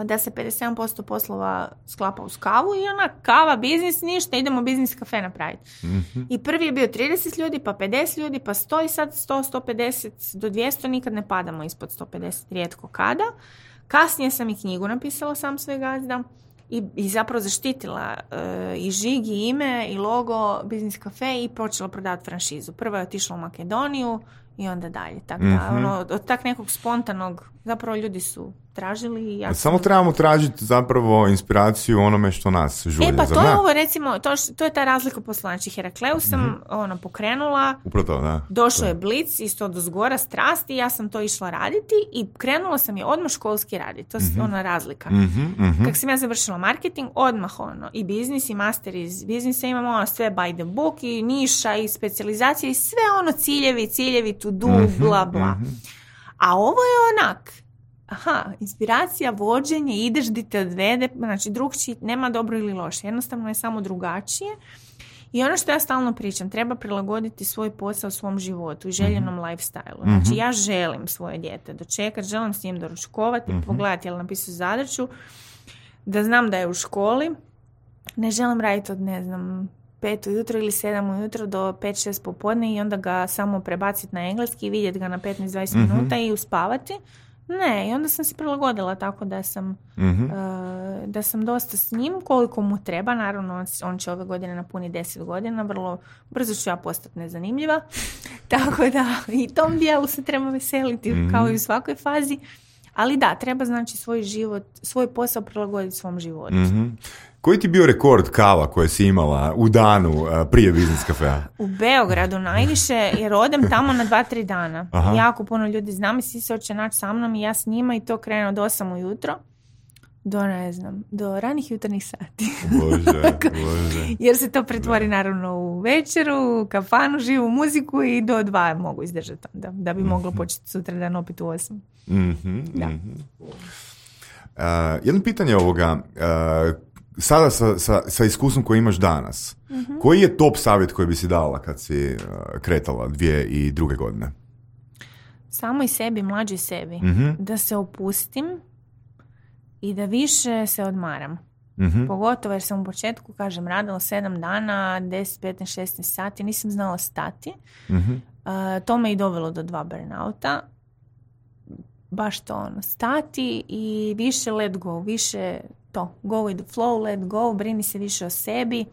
da se pedeset sedam posto poslova sklapa uz kavu i ona kava, biznis, ništa, idemo biznis kafe napraviti. Mm-hmm. I prvi je bio trideset ljudi, pa pedeset ljudi, pa sto i sad sto, sto pedeset do dvjesto, nikad ne padamo ispod sto pedeset, rijetko kada. Kasnije sam i knjigu napisala sam svoj gazda i, i zapravo zaštitila uh, i žig i ime i logo Biznis kafe i počela prodavati franšizu. Prvo je otišla u Makedoniju i onda dalje. Tako da, mm-hmm. ono, od tak nekog spontanog, zapravo ljudi su tražili i ja Samo sam... trebamo tražiti zapravo inspiraciju u onome što nas žulja. E pa zar to ne? je ovo recimo, to, š, to je ta razlika posla. Znači Herakleu sam mm-hmm. ono, pokrenula, Upravo to, da. došao je blic, isto od zgora strasti, ja sam to išla raditi i krenula sam je odmah školski raditi. To je mm-hmm. ona razlika. Mm-hmm, mm-hmm. Kako sam ja završila marketing, odmah ono, i biznis i master iz biznisa imamo ono sve by the book i niša i specijalizacija i sve ono ciljevi, ciljevi to do, mm-hmm, bla bla. Mm-hmm. A ovo je onak, aha, inspiracija, vođenje, ideš di te odvede, znači drugčiji, nema dobro ili loše, jednostavno je samo drugačije. I ono što ja stalno pričam, treba prilagoditi svoj posao svom životu i željenom mm-hmm. lifestyle-u. Znači mm-hmm. ja želim svoje dijete dočekati, želim s njim doručkovati, mm-hmm. pogledati je li napisao zadaću, da znam da je u školi, ne želim raditi od, ne znam, pet ujutro ili sedam ujutro do pet šest popodne i onda ga samo prebaciti na engleski i vidjeti ga na petnaest do dvadeset mm-hmm. minuta i uspavati. Ne, i onda sam se prilagodila tako da sam, mm-hmm. uh, da sam dosta s njim koliko mu treba. Naravno, on, on će ove godine napuni deset godina, vrlo brzo ću ja postati nezanimljiva. Tako da i tom dijelu se treba veseliti mm-hmm. kao i u svakoj fazi. Ali da, treba znači svoj život, svoj posao prilagoditi svom životu. Mm-hmm. Koji ti bio rekord kava koje si imala u danu prije Biznis Cafea? U Beogradu najviše, jer odem tamo na dva, tri dana. Aha. Jako puno ljudi znam i svi se hoće naći sa mnom i ja s njima i to krene od osam ujutro do, ne znam, do ranih jutarnjih sati. Bože, bože. Jer se to pretvori naravno u večeru, u kafanu, živu muziku i do dva mogu izdržati da, da bi moglo početi sutra dan opet u osam. Mm-hmm, da. Mm-hmm. Uh, jedno pitanje ovoga... Uh, Sada sa, sa, sa iskustvom koji imaš danas, mm-hmm. koji je top savjet koji bi si dala kad si uh, kretala dvije i druge godine? Samo i sebi, mlađi sebi. Mm-hmm. Da se opustim i da više se odmaram. Mm-hmm. Pogotovo jer sam u početku, kažem, radila sedam dana, deset, petnaest, šesnaest sati, nisam znala stati. Mm-hmm. Uh, to me i dovelo do dva burnouta. Baš to ono, stati i više let go, više to, go with the flow, let go, brini se više o sebi,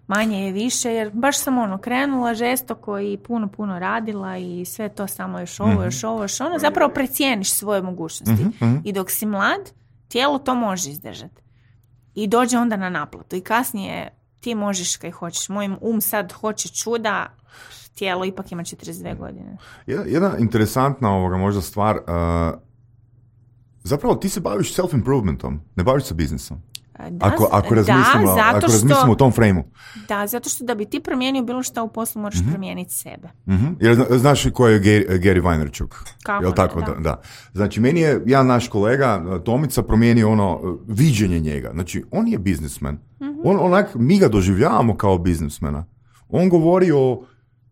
manje je više, jer baš sam ono krenula žestoko i puno, puno radila i sve to samo još ovo, još ovo, još ono, zapravo precijeniš svoje mogućnosti. Mm-hmm. I dok si mlad, tijelo to može izdržati. I dođe onda na naplatu. I kasnije ti možeš kaj hoćeš. Moj um sad hoće čuda, tijelo ipak ima četrdeset dvije godine. Jedna interesantna ovoga možda stvar, uh, zapravo ti se baviš self-improvementom, ne baviš se biznisom. Da, ako, ako razmislimo, da, zato ako što, razmislimo u tom frame-u. Da, zato što da bi ti promijenio bilo što u poslu moraš mm-hmm. promijeniti sebe. Mm-hmm. Jer znaš ko je Gary, Gary Vaynerchuk? Kako Jel ne, tako? da. Da, da. Znači, meni je jedan naš kolega Tomica promijenio ono viđenje njega. Znači, on je biznismen. Mm-hmm. On, onak, mi ga doživljavamo kao biznismena. On govori o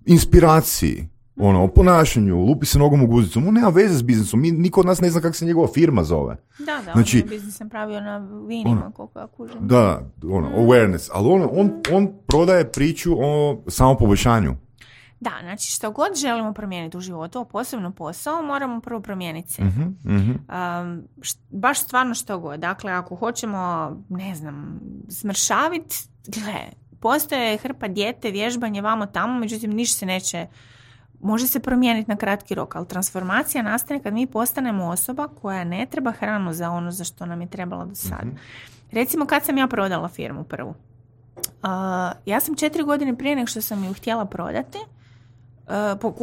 inspiraciji, ono, o ponašanju, lupi se nogom u guzicu. On nema veze s biznisom. Mi, niko od nas ne zna kako se njegova firma zove. Da, da, znači, on je biznis sam pravio na vinima, ono, koliko ja kužem. Da, ono, mm. awareness. Ali on, on, on prodaje priču o samopoboljšanju. Da, znači što god želimo promijeniti u životu, a posebno posao, moramo prvo promijeniti sebe. Mm-hmm, mm-hmm. Um, št, baš stvarno što god. Dakle, ako hoćemo, ne znam, smršaviti, gle, postoje hrpa dijete, vježbanje, vamo tamo, međutim, ništa se neće, može se promijeniti na kratki rok, ali transformacija nastane kad mi postanemo osoba koja ne treba hranu za ono za što nam je trebala do sada. Mm-hmm. Recimo, kad sam ja prodala firmu prvu. Uh, ja sam četiri godine prije nego što sam ju htjela prodati, Uh, po,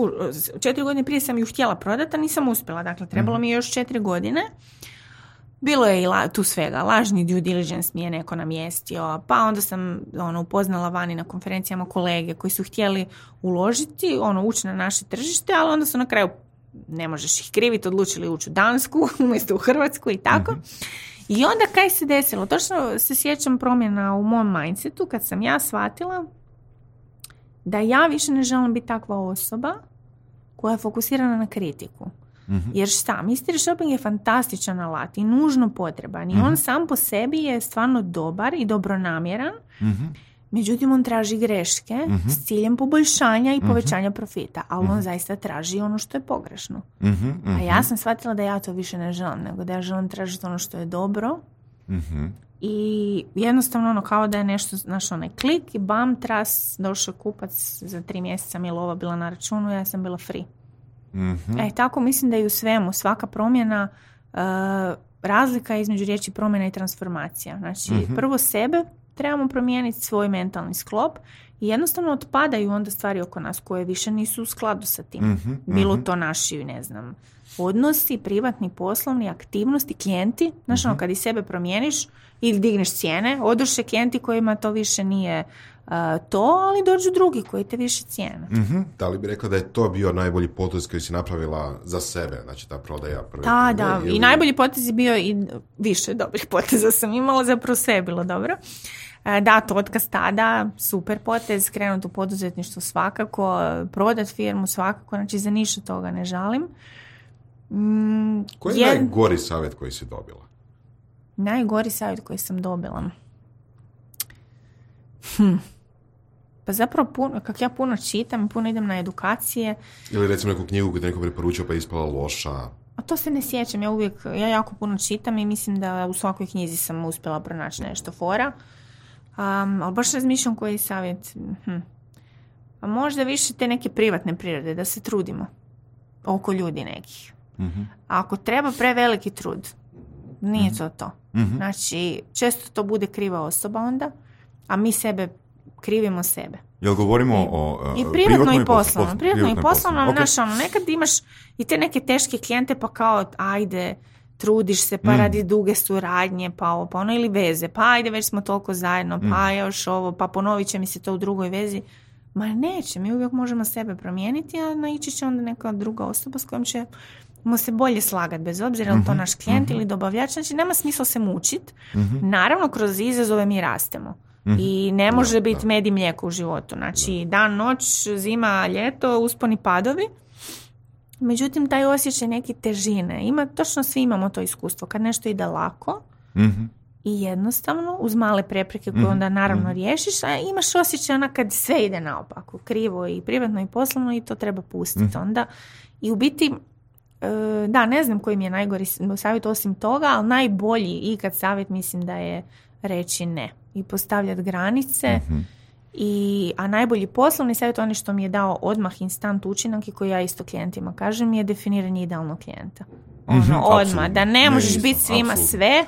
četiri godine prije sam ju htjela prodati, a nisam uspjela. Dakle, trebalo mi je još četiri godine. Bilo je i la, tu svega. Lažni due diligence mi je neko namjestio. Pa onda sam ono, upoznala vani na konferencijama kolege koji su htjeli uložiti, ono, ući na naše tržište, ali onda su na kraju, ne možeš ih kriviti, odlučili ući u Dansku umjesto u Hrvatsku i tako. Mm-hmm. I onda kaj se desilo? Točno se sjećam promjena u mom mindsetu kad sam ja shvatila da ja više ne želim biti takva osoba koja je fokusirana na kritiku. Mm-hmm. Jer šta, mystery shopping je fantastičan alat i nužno potreban. I mm-hmm. on sam po sebi je stvarno dobar i dobronamjeran. Mm-hmm. Međutim, on traži greške mm-hmm. s ciljem poboljšanja i povećanja mm-hmm. profita. Ali mm-hmm. on zaista traži ono što je pogrešno. Mm-hmm. A ja sam shvatila da ja to više ne želim, nego da ja želim tražiti ono što je dobro. Mm-hmm. I jednostavno ono kao da je nešto, znaš, onaj klik i bam, tras, došao kupac za tri mjeseca mi je lova bila na računu, ja sam bila free. Mm-hmm. E, tako mislim da i u svemu, svaka promjena, uh, razlika između riječi promjena i transformacija. Znači, mm-hmm. prvo sebe trebamo promijeniti, svoj mentalni sklop i jednostavno otpadaju onda stvari oko nas koje više nisu u skladu sa tim. Mm-hmm. Bilo to naši, ne znam, odnosi, privatni, poslovni, aktivnosti, klijenti. Znaš, mm-hmm. ono, kad i sebe promijeniš ili digneš cijene, odoše klijenti kojima to više nije uh, to, ali dođu drugi koji te više cijene. Mm-hmm. Da li bi rekla da je to bio najbolji potez koji si napravila za sebe, znači ta prodaja prve? Da, da, ili... i najbolji potez je bio i više dobrih poteza sam imala, zapravo sve je bilo dobro. Da, to otkaz tada, super potez, krenuti u poduzetništvo svakako, prodat firmu svakako, znači za ništa toga ne žalim. Mm, koji je, je najgori savjet koji si dobila? Najgori savjet koji sam dobila? Hm. Pa zapravo, puno, kak ja puno čitam, puno idem na edukacije. Ili recimo neku knjigu koju te neko preporučio pa je ispala loša. A to se ne sjećam, ja uvijek, ja jako puno čitam i mislim da u svakoj knjizi sam uspjela pronaći nešto fora. Um, ali baš razmišljam koji je savjet. Hm. A možda više te neke privatne prirode, da se trudimo oko ljudi nekih. Mm-hmm. A ako treba preveliki trud, nije mm-hmm. to to. Mm-hmm. Znači, često to bude kriva osoba onda, a mi sebe krivimo sebe. Jel govorimo I, o... Uh, I privatno i poslovno. Privatno i poslovno, okay. Znaš, ono, nekad imaš i te neke teške klijente, pa kao, ajde, trudiš se, pa mm. radi duge suradnje, pa ovo, pa ono, ili veze, pa ajde, već smo toliko zajedno, mm. pa još ovo, pa ponovit će mi se to u drugoj vezi. Ma neće, mi uvijek možemo sebe promijeniti, a naići će onda neka druga osoba s kojom ćemo se bolje slagati, bez obzira mm-hmm. je li to naš klijent mm-hmm. ili dobavljač. Znači, nema smisla se mučiti. Mm-hmm. Naravno, kroz izazove mi rastemo. Mm-hmm. I ne može da, biti da. med i mlijeko u životu. Znači, da. dan, noć, zima, ljeto, usponi padovi. Međutim, taj osjećaj neke težine. Ima, točno svi imamo to iskustvo. Kad nešto ide lako mm-hmm. i jednostavno, uz male prepreke koje mm-hmm. onda naravno mm-hmm. riješiš, a imaš osjećaj ona kad sve ide naopako, krivo i privatno i poslovno i to treba pustiti mm-hmm. onda. I u biti, da, ne znam koji mi je najgori savjet osim toga, ali najbolji ikad savjet mislim da je reći ne i postavljati granice. Mm-hmm. I, a najbolji poslovni savjet, on što mi je dao odmah instant učinak i koji ja isto klijentima kažem, je definiranje idealnog klijenta. Ono, mm-hmm, odmah, absolutno. Da ne možeš ne, biti svima absolutno. Sve,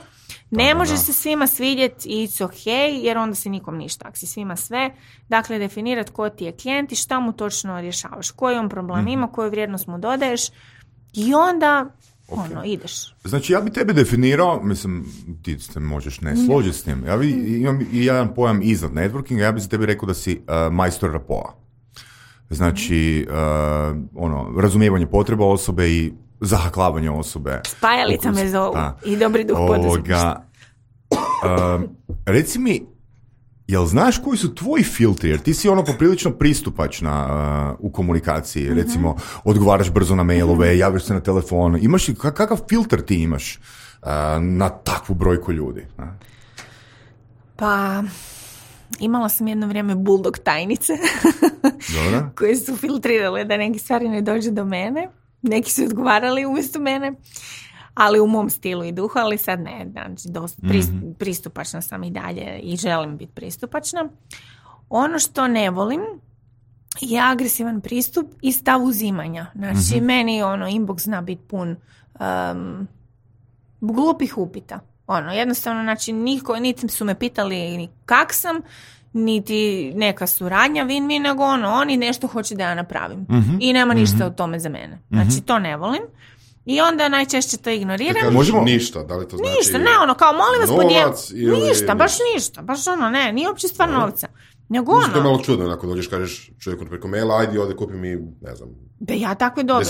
ne da, možeš da. Se svima svidjeti i it's ok, jer onda se nikom ništa, ako si svima sve. Dakle, definirati ko ti je klijent i šta mu točno rješavaš, koji on problem mm-hmm. ima, koju vrijednost mu dodaješ i onda okay. ono, ideš. Znači, ja bi tebe definirao, mislim, ti se možeš ne složiti s tim, ja bi, imam i jedan pojam iznad networkinga, ja bi za tebi rekao da si uh, majstor rapoa. Znači, uh, ono, razumijevanje potreba osobe i zahaklavanje osobe. Spajalica me zovu i dobri duh poduzetništva. Uh, reci mi, jel znaš koji su tvoji filtri? Jer ti si ono poprilično pristupačna uh, u komunikaciji. Mm-hmm. Recimo, odgovaraš brzo na mailove, mm-hmm. javiš se na telefon. Imaš li, kakav filter ti imaš uh, na takvu brojku ljudi? Uh? Pa, imala sam jedno vrijeme bulldog tajnice koje su filtrirale da neki stvari ne dođe do mene. Neki su odgovarali umjesto mene, ali u mom stilu i duhu, ali sad ne, znači dosta mm-hmm. pristupačna sam i dalje i želim biti pristupačna. Ono što ne volim je agresivan pristup i stav uzimanja. Znači, mm-hmm. meni ono, inbox zna biti pun um, glupih upita. Ono, jednostavno, znači, niko, niti su me pitali ni kak sam, niti neka suradnja win-win, nego ono, oni nešto hoće da ja napravim. Mm-hmm. I nema ništa mm-hmm. od tome za mene. Znači, mm-hmm. to ne volim. I onda najčešće to ignoriram. Možemo ništa, da li to znači? Ništa, ne, ono, kao molim vas podijeliti. Ili... Ništa, baš ništa, baš ono, ne, nije uopće stvar novca. Nego ono. To je malo čudno, ako dođeš, kažeš čovjeku preko maila, ajde ovdje kupi mi, ne znam. Be, ja takve dobim.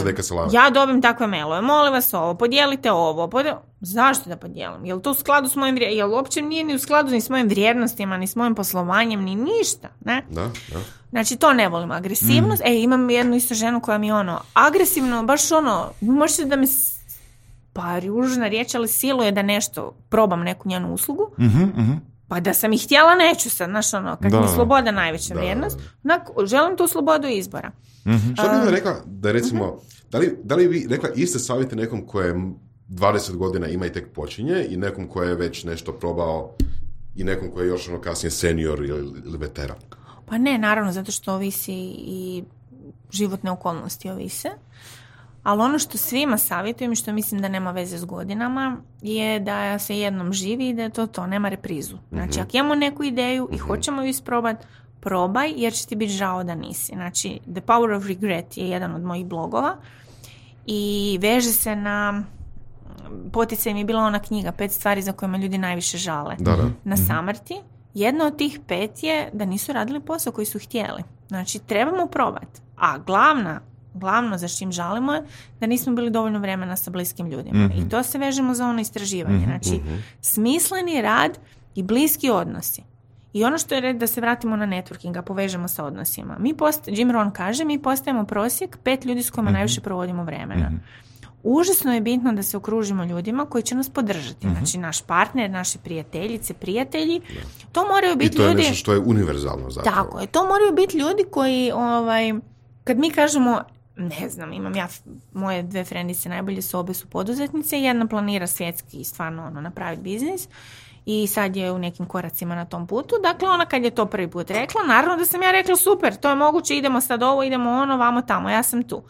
Ja dobim takve mailove, molim vas ovo, podijelite ovo. Podijel... Zašto da podijelim? Je li to u skladu s mojim vrijednostima? Je li uopće nije ni u skladu ni s mojim vrijednostima, ni s mojim poslovanjem, ni ništa, ne? Da, da. Znači, to ne volim. Agresivnost. Mm. E, imam jednu isto ženu koja mi ono, agresivno, baš ono, možete da mi, pa ružna riječ, ali siluje da nešto, probam neku njenu uslugu. Mm-hmm, mm-hmm. Pa da sam ih htjela, neću sad, znaš ono, kad da, mi je sloboda najveća da, vrijednost, onak, želim tu slobodu izbora. Mm-hmm. Što bi mi rekla, da recimo, mm-hmm. da, li, da li bi rekla iste savjete nekom koje dvadeset godina ima i tek počinje i nekom koje je već nešto probao i nekom koji je još ono kasnije senior ili, ili veteran? Pa ne, naravno, zato što ovisi i životne okolnosti ovise. Ali ono što svima savjetujem i što mislim da nema veze s godinama je da se jednom živi i da je to to, nema reprizu. Znači, mm-hmm. ako imamo neku ideju i mm-hmm. hoćemo ju isprobati, probaj jer će ti biti žao da nisi. Znači, The Power of Regret je jedan od mojih blogova i veže se na, poticaj mi je bila ona knjiga, pet stvari za koje me ljudi najviše žale. Da, da. Na samrti. Jedna od tih pet je da nisu radili posao koji su htjeli. Znači, trebamo probati. A glavna Glavno za čim žalimo je da nismo bili dovoljno vremena sa bliskim ljudima. Mm-hmm. I to se vežemo za ono istraživanje. Mm-hmm. Znači, mm-hmm. smisleni rad i bliski odnosi. I ono što je red da se vratimo na networking, a povežemo sa odnosima. Mi post, Jim Rohn kaže, mi postajemo prosjek pet ljudi s kojima mm-hmm. najviše provodimo vremena. Mm-hmm. užasno je bitno da se okružimo ljudima koji će nas podržati. Mm-hmm. Znači, naš partner, naše prijateljice, prijatelji, to moraju biti ljudi... I to je ljudi... nešto što je univerzalno zapravo. Tako je, to moraju biti ljudi koji, ovaj, kad mi kažemo, ne znam, imam ja, moje dve frendice najbolje su, obe su poduzetnice, jedna planira svjetski stvarno ono, napraviti biznis i sad je u nekim koracima na tom putu. Dakle, ona kad je to prvi put rekla, naravno da sam ja rekla super, to je moguće, idemo sad ovo, idemo ono, vamo tamo, ja sam tu.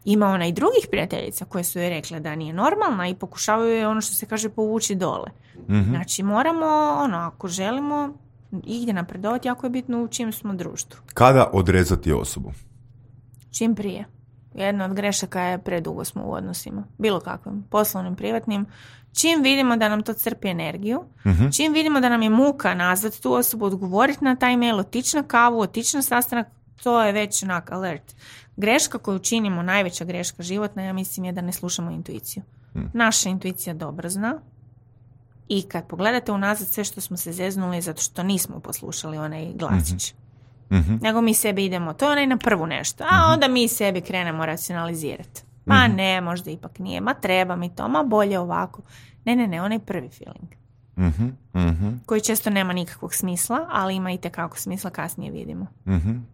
Ima ona i drugih prijateljica koje su joj rekle da nije normalna i pokušavaju je ono što se kaže povući dole. Mm-hmm. Znači moramo, ono, ako želimo igdje napredovati, jako je bitno u čim smo društvu. Kada odrezati osobu? Čim prije. Jedna od grešaka je predugo smo u odnosima. Bilo kakvim, poslovnim, privatnim. Čim vidimo da nam to crpi energiju, mm-hmm. čim vidimo da nam je muka nazvati tu osobu, odgovoriti na taj mail, otići na kavu, otići na sastanak, to je već onak alert. Greška koju činimo, najveća greška životna, ja mislim je da ne slušamo intuiciju. Hmm. Naša intuicija dobro zna i kad pogledate unazad sve što smo se zeznuli zato što nismo poslušali onaj glasić. Mm-hmm. Nego mi sebi idemo, to je onaj na prvu nešto, a onda mi sebi krenemo racionalizirati. Ma mm-hmm. ne, možda ipak nije, ma treba mi to, ma bolje ovako. Ne, ne, ne, onaj prvi feeling. Mm-hmm. Mm-hmm. Koji često nema nikakvog smisla, ali ima i tekako smisla, kasnije vidimo. Mm-hmm.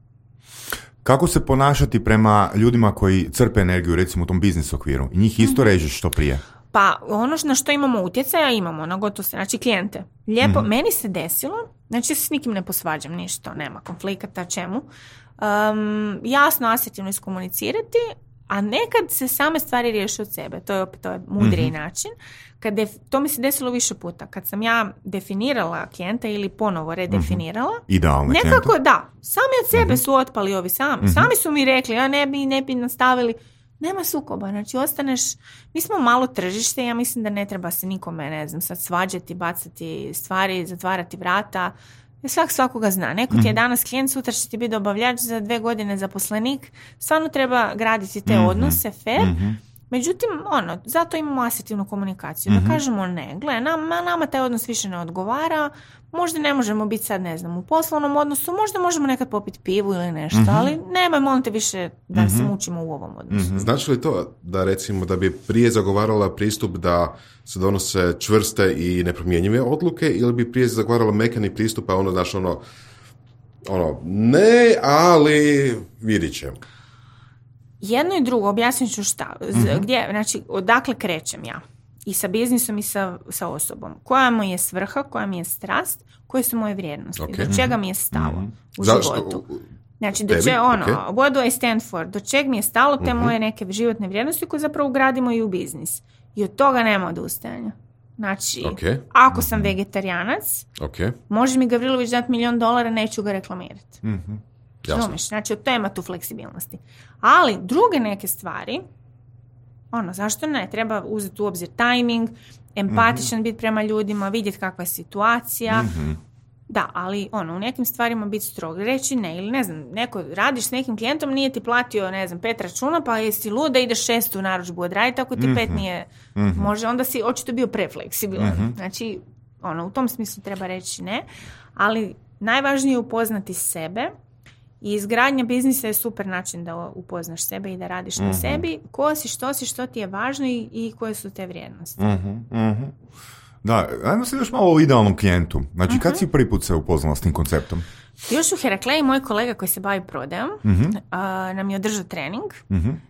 Kako se ponašati prema ljudima koji crpe energiju, recimo u tom biznis okviru? I njih isto režeš što prije? Pa ono na što imamo utjecaja, imamo na gotovo se, znači klijente. Lijepo, mm-hmm. meni se desilo, znači se s nikim ne posvađam, ništa, nema konflikata, čemu. Um, jasno, asertivno iskomunicirati, a nekad se same stvari riješe od sebe. To je opet to je mudriji mm-hmm. način. Kad def, to mi se desilo više puta. Kad sam ja definirala klijenta ili ponovo redefinirala, mm-hmm. idealno nekako klijenta. Da, sami od sebe mm-hmm. su otpali ovi sami. Mm-hmm. Sami su mi rekli, ja ne bi, ne bi nastavili. Nema sukoba, znači ostaneš, mi smo malo tržište, ja mislim da ne treba se nikome, ne znam, sad svađati, bacati stvari, zatvarati vrata. Svak svakoga zna. Neko ti je danas klijent, sutra će ti biti dobavljač, za dve godine zaposlenik. Stvarno treba graditi te mm-hmm. odnose, fair. Mm-hmm. Međutim, ono, zato imamo asertivnu komunikaciju. Mm-hmm. Da kažemo ne, gle, nama, nama taj odnos više ne odgovara, možda ne možemo biti sad, ne znam, u poslovnom odnosu, možda možemo nekad popiti pivu ili nešto, mm-hmm. ali nemoj, molim te više da mm-hmm. se mučimo u ovom odnosu. Mm-hmm. Znači li to da recimo da bi prije zagovarala pristup da se donose čvrste i nepromjenjive odluke ili bi prije zagovarala mekani pristup, a ono, znaš, ono, ono, ne, ali vidit ćemo. Jedno i drugo, objasnit ću šta. Mm-hmm. Gdje, znači, odakle krećem ja? I sa biznisom i sa, sa osobom. Koja mu je svrha, koja mi je strast, koje su moje vrijednosti. Okay. Do čega mi je stalo mm-hmm. u Zašto? životu. Znači, do čega, ono, okay. what do I stand for? Do čeg mi je stalo te mm-hmm. moje neke životne vrijednosti koje zapravo ugradimo i u biznis. I od toga nema odustajanja. Znači, okay. ako sam vegetarijanac, okay. može mi Gavrilović dati milijon dolara, neću ga reklamirati. Mm-hmm. Razumiješ? Znači, od tema tu fleksibilnosti. Ali druge neke stvari, ono, zašto ne? Treba uzeti u obzir timing, empatičan mm-hmm. biti prema ljudima, vidjeti kakva je situacija. Mm-hmm. Da, ali ono, u nekim stvarima biti strog. Reći ne, ili ne znam, neko radiš s nekim klijentom, nije ti platio, ne znam, pet računa, pa jesi lud da ideš šestu narudžbu odraditi, ako ti mm-hmm. pet nije, mm-hmm. može, onda si očito bio prefleksibilan. Mm-hmm. Znači, ono, u tom smislu treba reći ne, ali najvažnije je upoznati sebe. I izgradnja biznisa je super način da upoznaš sebe i da radiš mm-hmm. na sebi. Ko si, što si, što ti je važno i, i koje su te vrijednosti. Mm-hmm. Mm-hmm. Da, ajmo se još malo o idealnom klijentu. Znači, mm-hmm. kad si prvi put se upoznala s tim konceptom? Još u Herakleji moj kolega koji se bavi prodajom mm-hmm. uh, nam je održao trening mm-hmm.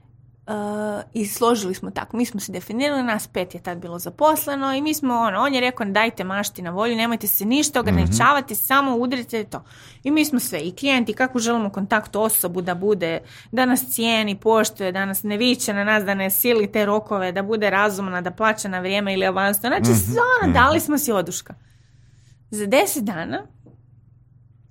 uh, i složili smo tako. Mi smo se definirali, nas pet je tad bilo zaposleno i mi smo, ono, on je rekao dajte mašti na volju, nemojte se ništa ograničavati, mm-hmm. samo udrite to. I mi smo sve, i klijenti, kako želimo kontakt osobu da bude, da nas cijeni, poštuje, da nas ne viče na nas, da ne sili te rokove, da bude razumna, da plaća na vrijeme ili avansno. Znači, mm-hmm. ono, dali smo si oduška. Za deset dana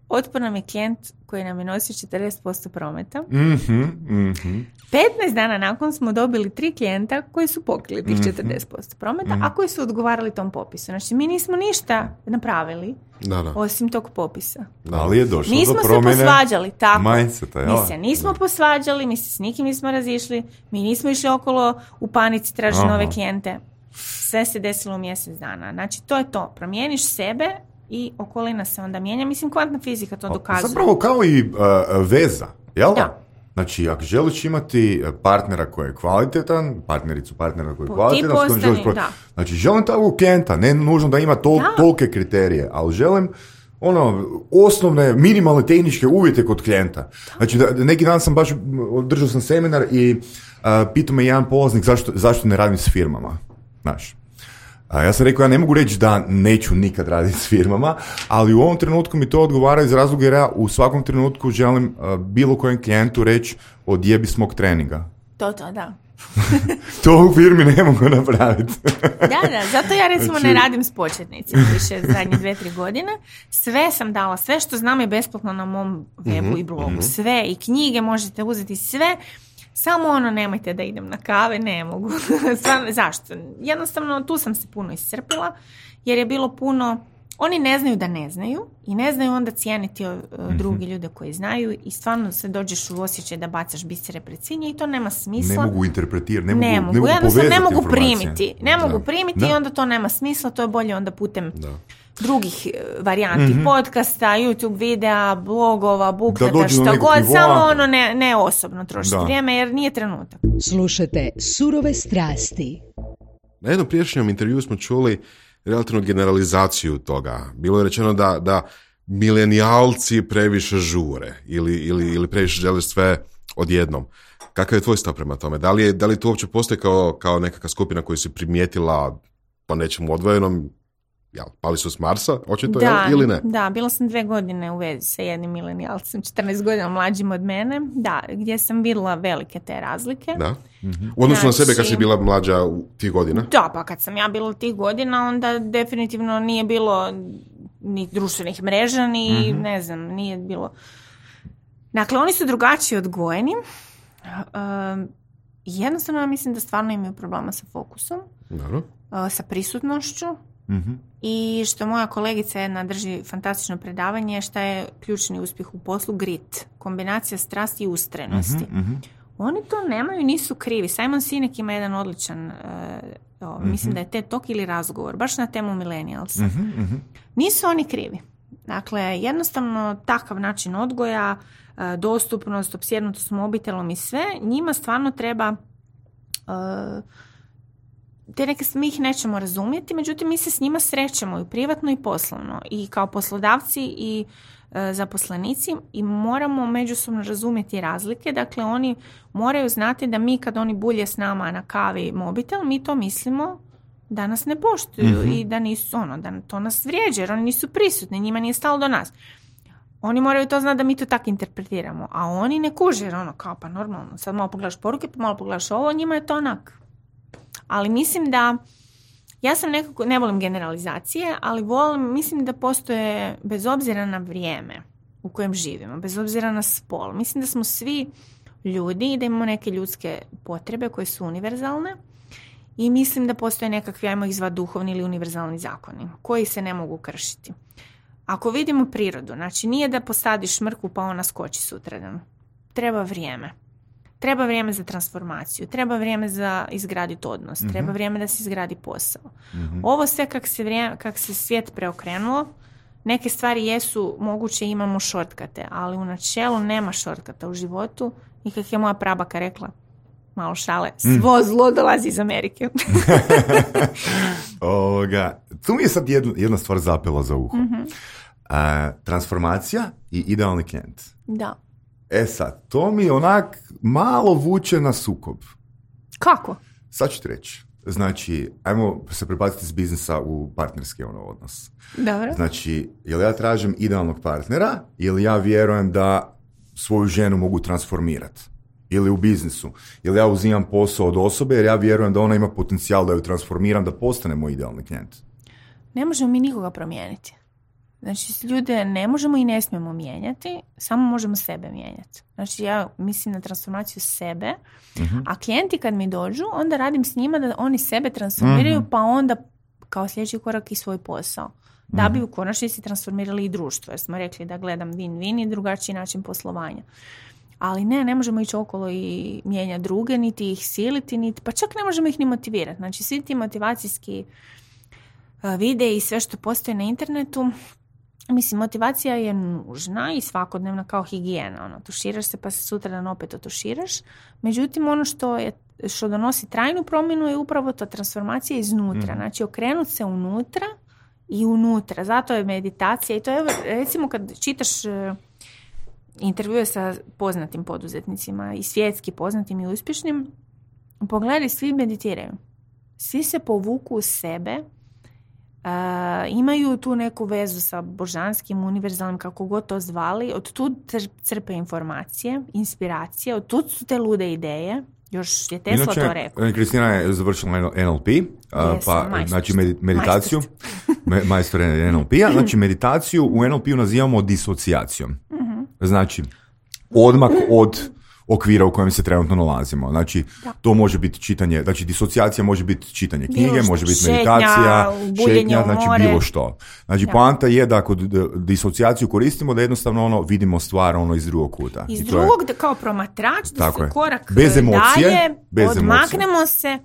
otpor nam je klijent koji nam je nosio četrdeset posto prometa. Mm-hmm, mm-hmm. petnaest dana nakon smo dobili tri klijenta koji su pokrili tih četrdeset posto prometa, mm-hmm. a koji su odgovarali tom popisu. Znači, mi nismo ništa napravili da, da. osim tog popisa. Da, ali je došlo nismo do promjene. Se posvađali, tako. Mindseta, mi se nismo da. posvađali, mi se s nikim nismo razišli, mi nismo išli okolo u panici tražiti nove klijente. Sve se desilo u mjesec dana. Znači, to je to. Promijeniš sebe i okolina se onda mijenja. Mislim, kvantna fizika to dokazuje. Zapravo kao i uh, veza, jel? Da. Znači, ako želiš imati partnera koji je kvalitetan, partnericu partnera koji je Ti kvalitetan, s kojim postani, želiš pro- da. znači, želim takvog klijenta, ne nužno da ima tol- Da. tolike kriterije, ali želim ono, osnovne, minimalne tehničke uvjete kod klijenta. Znači, da, neki dan sam baš, održao sam seminar i uh, pitao me jedan polaznik zašto, zašto ne radim s firmama. Znaš, a ja sam rekao, ja ne mogu reći da neću nikad raditi s firmama, ali u ovom trenutku mi to odgovara iz razloga jer ja u svakom trenutku želim uh, bilo kojem klijentu reći odjebi s mog treninga. To, to, da. To u firmi ne mogu napraviti. Da, da, zato ja recimo Znači- ne radim s početnicima više zadnje dve, tri godine. Sve sam dala, sve što znam je besplatno na mom webu i blogu. Sve, i knjige možete uzeti, sve. Samo ono, nemojte da idem na kave, ne mogu. Stvarno, zašto? Jednostavno, tu sam se puno iscrpila, jer je bilo puno... Oni ne znaju da ne znaju i ne znaju onda cijeniti uh, drugi ljude koji znaju i stvarno se dođeš u osjećaj da bacaš bisere pred svinje i to nema smisla. Ne mogu interpretirati, ne, Ne mogu, mogu, ne mogu jednostavno ne povezati mogu informacije. primiti. Ne Da. mogu primiti Da. i onda to nema smisla, to je bolje onda putem Da. drugih eh, varijanti, podcasta, YouTube videa, blogova, Da bukleta, dođu do šta nekog god, nivoa. samo ono ne, ne osobno trošiti Da. vrijeme jer nije trenutak. Slušate Surove strasti. Na jednom prijašnjem intervju smo čuli relativnu generalizaciju toga. Bilo je rečeno da, da milenijalci previše žure ili, ili, ili previše žele sve odjednom. Kakav je tvoj stav prema tome? Da li, je, da li to uopće postoji kao, kao nekakva skupina koju si primijetila po nečemu odvojenom? Ja, pali su s Marsa, očito, Da, jel, ili ne? da, bila sam dve godine u vezi sa jednim milenijalcem, četrnaest godina mlađim od mene, da, gdje sam vidjela velike te razlike. Da. U odnosu na sebe kad Znači- si bila mlađa u tih godina? Da, pa kad sam ja bila tih godina, onda definitivno nije bilo ni društvenih mreža, ni ne znam, nije bilo... Dakle, oni su drugačije odgojeni. Um, jednostavno, ja mislim da stvarno imaju problema sa fokusom, Dobro. uh, sa prisutnošću Mhm. i što moja kolegica jedna drži fantastično predavanje, šta je ključni uspjeh u poslu, grit, kombinacija strasti i ustrajnosti. Mhm. Oni to nemaju, nisu krivi. Simon Sinek ima jedan odličan, uh, o, mislim da je TED Talk ili razgovor, baš na temu millennialsa. Mhm, mhm. Nisu oni krivi. Dakle, jednostavno takav način odgoja, uh, dostupnost, opsjednutost mobitelom i sve, njima stvarno treba... Uh, te neke mi ih nećemo razumjeti, međutim mi se s njima srećemo i privatno i poslovno i kao poslodavci i e, zaposlenici i moramo međusobno razumjeti razlike. Dakle, oni moraju znati da mi kad oni bulje s nama na kavi mobitel, mi to mislimo da nas ne poštuju Mhm. i da nisu, ono, da to nas vrijeđa jer oni nisu prisutni, njima nije stalo do nas. Oni moraju to znati da mi to tako interpretiramo, a oni ne kuže jer ono kao pa normalno, sad malo pogledaš poruke, pa malo pogledaš ovo, njima je to onak. Ali mislim da, ja sam nekako, ne volim generalizacije, ali volim, mislim da postoje, bez obzira na vrijeme u kojem živimo, bez obzira na spol, mislim da smo svi ljudi i da imamo neke ljudske potrebe koje su univerzalne i mislim da postoje nekakvi, ajmo ih zvati duhovni ili univerzalni zakoni koji se ne mogu kršiti. Ako vidimo prirodu, znači nije da posadiš mrkvu pa ona skoči sutradan. Treba vrijeme. Treba vrijeme za transformaciju, treba vrijeme za izgraditi odnos, Mhm. treba vrijeme da se izgradi posao. Mhm. Ovo sve kak se, vrijeme, kak se svijet preokrenulo, neke stvari jesu moguće, imamo šortkate, ali u načelu nema šortkata u životu i kak je moja prabaka rekla, malo šale, svo zlo dolazi iz Amerike. Ovoga, tu mi je sad jedna, jedna stvar zapela za uho. A, transformacija i idealni klijent. Da. E sad, to mi onak malo vuče na sukob. Kako? Sad ću ti reći. Znači, ajmo se prebaciti iz biznisa u partnerski ono odnos. Dobro. Znači, jel ja tražim idealnog partnera ili ja vjerujem da svoju ženu mogu transformirati? Ili u biznisu. Ili ja uzimam posao od osobe jer ja vjerujem da ona ima potencijal da ju transformiram, da postane moj idealni klijent. Ne možemo mi nikoga promijeniti. Znači, ljude ne možemo i ne smijemo mijenjati, samo možemo sebe mijenjati. Znači, ja mislim na transformaciju sebe, Mhm. a klijenti kad mi dođu, onda radim s njima da oni sebe transformiraju, Mhm. pa onda kao sljedeći korak i svoj posao. Da bi u konačnici transformirali i društvo, jer smo rekli da gledam win-win i drugačiji način poslovanja. Ali ne, ne možemo ići okolo i mijenjati druge, niti ih siliti, niti, pa čak ne možemo ih ni motivirati. Znači, svi ti motivacijski uh, videi i sve što postoji na internetu, Mislim, motivacija je nužna i svakodnevna kao higijena. Ono, tuširaš se pa se sutradan opet otuširaš. Međutim, ono što je što donosi trajnu promjenu je upravo ta transformacija iznutra. Mm. Znači, okrenuti se unutra i unutra. Zato je meditacija i to je, recimo, kad čitaš uh, intervjue sa poznatim poduzetnicima i svjetski poznatim i uspješnim, pogledaj, svi meditiraju. Svi se povuku u sebe, uh, imaju tu neku vezu sa božanskim, univerzalnim, kako god to zvali, od tu crpe informacije, inspiracije, od tu su te lude ideje. Još je Tesla Inače, to rekao. Kristina je završila N L P, Yes, pa majstor. znači meditaciju, majstor N L P-a, znači meditaciju u N L P-u nazivamo disocijacijom. Mm-hmm. Znači, odmak od okvira u kojem se trenutno nalazimo. Znači, da. To može biti čitanje, znači disocijacija može biti čitanje knjige, može biti šetnja, meditacija, šetnja, znači more. bilo što. Znači, da. Poanta je da kod disocijaciju koristimo da jednostavno ono vidimo stvar ono iz drugog kuta. Iz I drugog, je, da kao promatrač, da se je. korak bez emocije, dalje, bez odmaknemo emocije. se